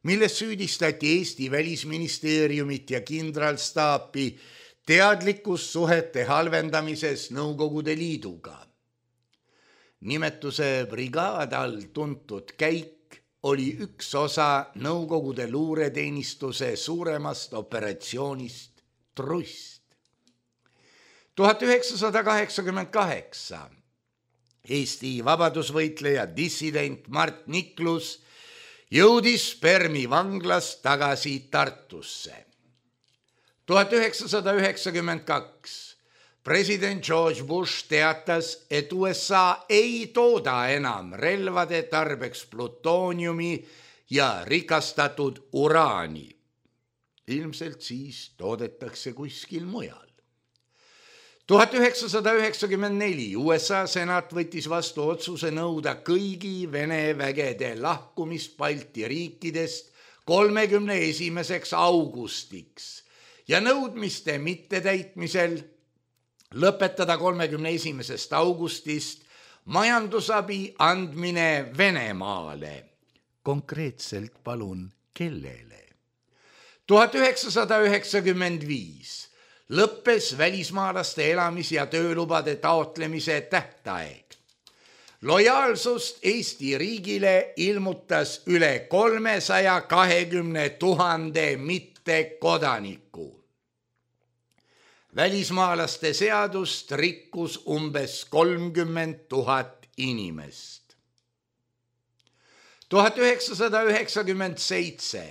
milles süüdistati Eesti välisministeeriumit ja kindralstaapi teadlikkus suhete halvendamises Nõukogude Liiduga. Nimetuse brigaad all tuntud käik oli üks osa Nõukogude luureteenistuse suuremast operatsioonist Trust. 1988 Eesti vabadusvõitleja dissident Mart Niklus jõudis Permi vanglast tagasi Tartusse. 1992 president George Bush teatas, et USA ei tooda enam relvade tarbeks plutooniumi ja rikastatud uraani. Ilmselt siis toodetakse kuskil mujal. 1994 USA senat võttis vastu otsuse nõuda kõigi Vene vägede lahkumist Balti riikidest 31. augustiks ja nõudmiste mittetäitmisel lõpetada 31. augustist majandusabi andmine Venemaale. Konkreetselt palun kellele? 1995 lõppes välismaalaste elamis- ja töölubade taotlemise tähtaeg. Lojaalsust Eesti riigile ilmutas üle 320 000 mittekodaniku. välismaalaste seadust rikkus umbes 30 000 inimest. 1997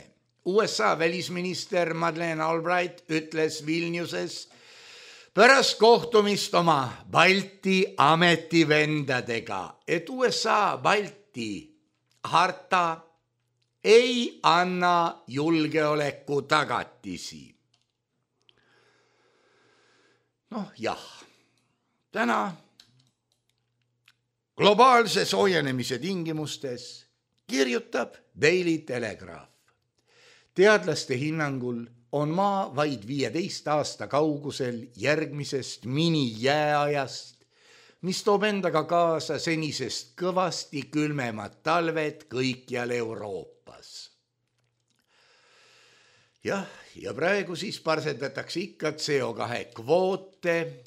USA välisminister Madeleine Albright ütles Vilniuses pärast kohtumist oma Balti ametivendadega, et USA Balti harta ei anna julgeoleku tagatisi. Jah, täna globaalse soojenemise tingimustes kirjutab Daily Telegraph. Teadlaste hinnangul on maa vaid 15 aasta kaugusel järgmisest minijääajast, mis toob endaga kaasa senisest kõvasti külmemad talved kõikjal Euroopas. Ja praegu siis parseldatakse ikka CO2 kvoote,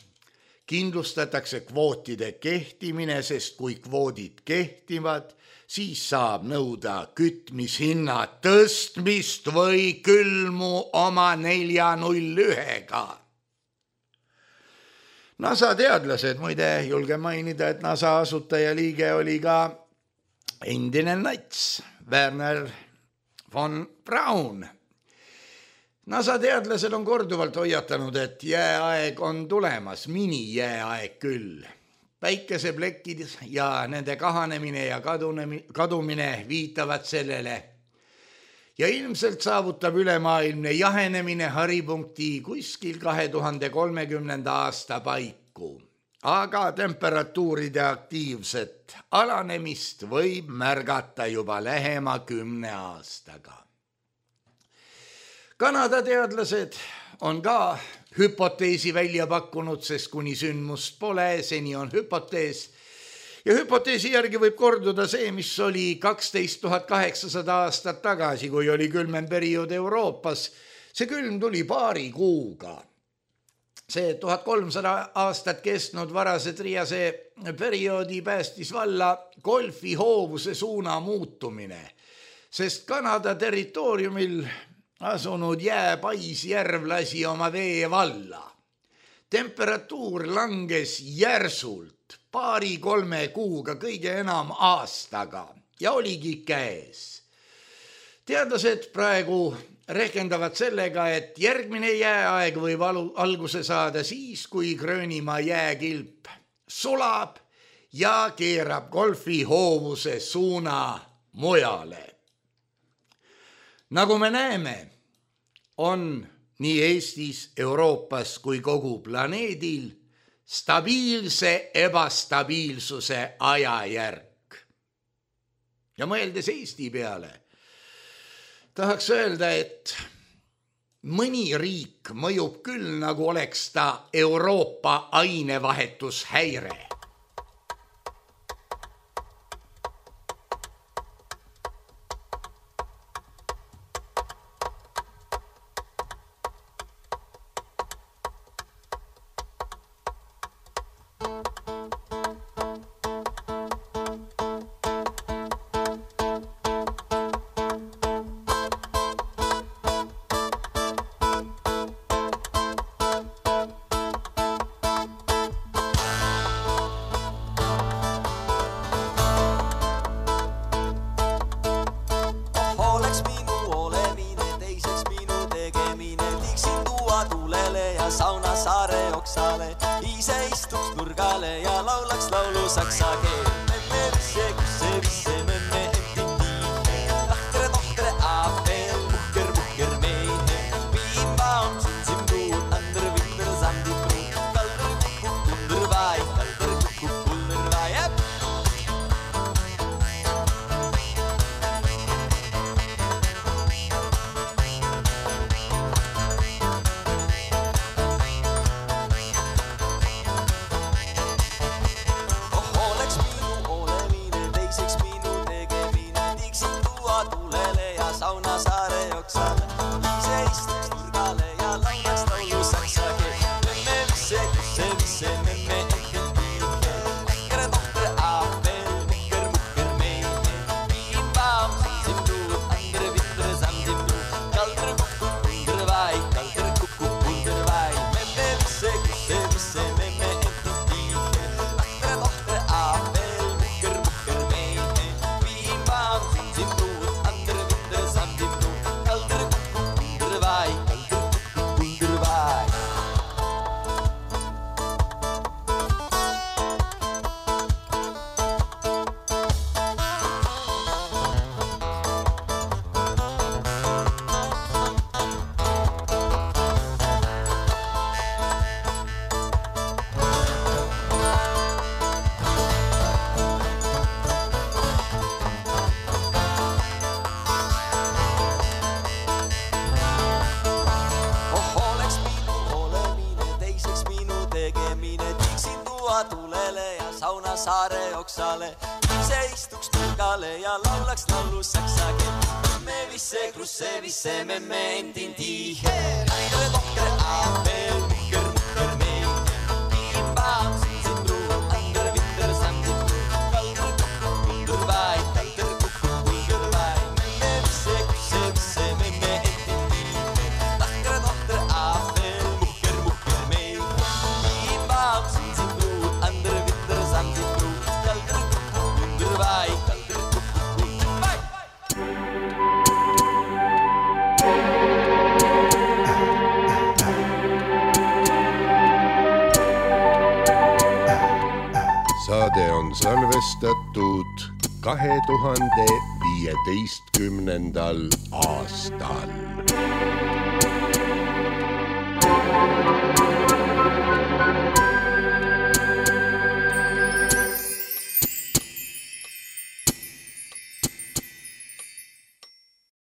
kindlustatakse kvootide kehtimine, sest kui kvoodid kehtivad, siis saab nõuda kütmishinna tõstmist või külmu oma 401-ga. NASA teadlased, muide julge mainida, et NASA asutajaliige oli ka endine nats Wernher von Braun. NASA teadlased on korduvalt hoiatanud, et jääaeg on tulemas, minijääaeg küll. Päikeseplekid ja nende kahanemine ja kadumine viitavad sellele. Ja ilmselt saavutab ülemaailmne jahenemine haripunkti kuskil 2030. aasta paiku. Aga temperatuuride aktiivset alanemist võib märgata juba lähema 10 aastaga. Kanada teadlased on ka hüpoteesi välja pakkunud, sest kuni sündmust pole, seni on hüpotees. Ja hüpoteesi järgi võib korduda see, mis oli 12 800 aastat tagasi, kui oli külmem periood Euroopas. See külm tuli paari kuuga. See 1300 aastat kestnud varase triase perioodi päästis valla golfihoovuse suuna muutumine, sest Kanada territooriumil asunud jääpaisjärv lasi oma vee valla. Temperatuur langes järsult 2-3 kuuga, kõige enam aastaga ja oligi käes. Teadlased praegu rehkendavad sellega, et järgmine jääaeg võib alguse saada siis, kui Gröönimaa jääkilp sulab ja keerab golfihoovuse suuna mujale. Nagu me näeme, on nii Eestis, Euroopas kui kogu planeedil stabiilse ebastabiilsuse ajajärk. Ja mõeldes Eesti peale, tahaks öelda, et mõni riik mõjub küll, nagu oleks ta Euroopa ainevahetushäire. Sauna saare oksale, ise istuks nurgale ja laulaks laulu saksa keel. Memme visse, kusse visse, memme empiti. Lahkere tohkere aapel, mukker meie. Piimba on tsim tuud, ander vinter sandi pruud. Kalder kukuk kunder vai, oleks saare oksale, ise istuks nurgale ja laulaks laulu saksa keelt. Me visse, krusse, visse, memme endin tihe. Lähtere tohtere aapel, muhker, muhker meil. Piimbaam, siin truu, ander, vitter, samtin truu. Kalder, kukku, kulder, vaid, kalder, kukku, kulder, vaid. Me visse, krusse, visse, memme endin tihe. Lähtere tohtere aapel, muhker, muhker meil. Piimbaam, siin truu, ander, vitter, samtin truu. Kalder, kukku, kulder, vaid, kalder, kukku, kulder, vaid. Saade on salvestatud 2015. aastal.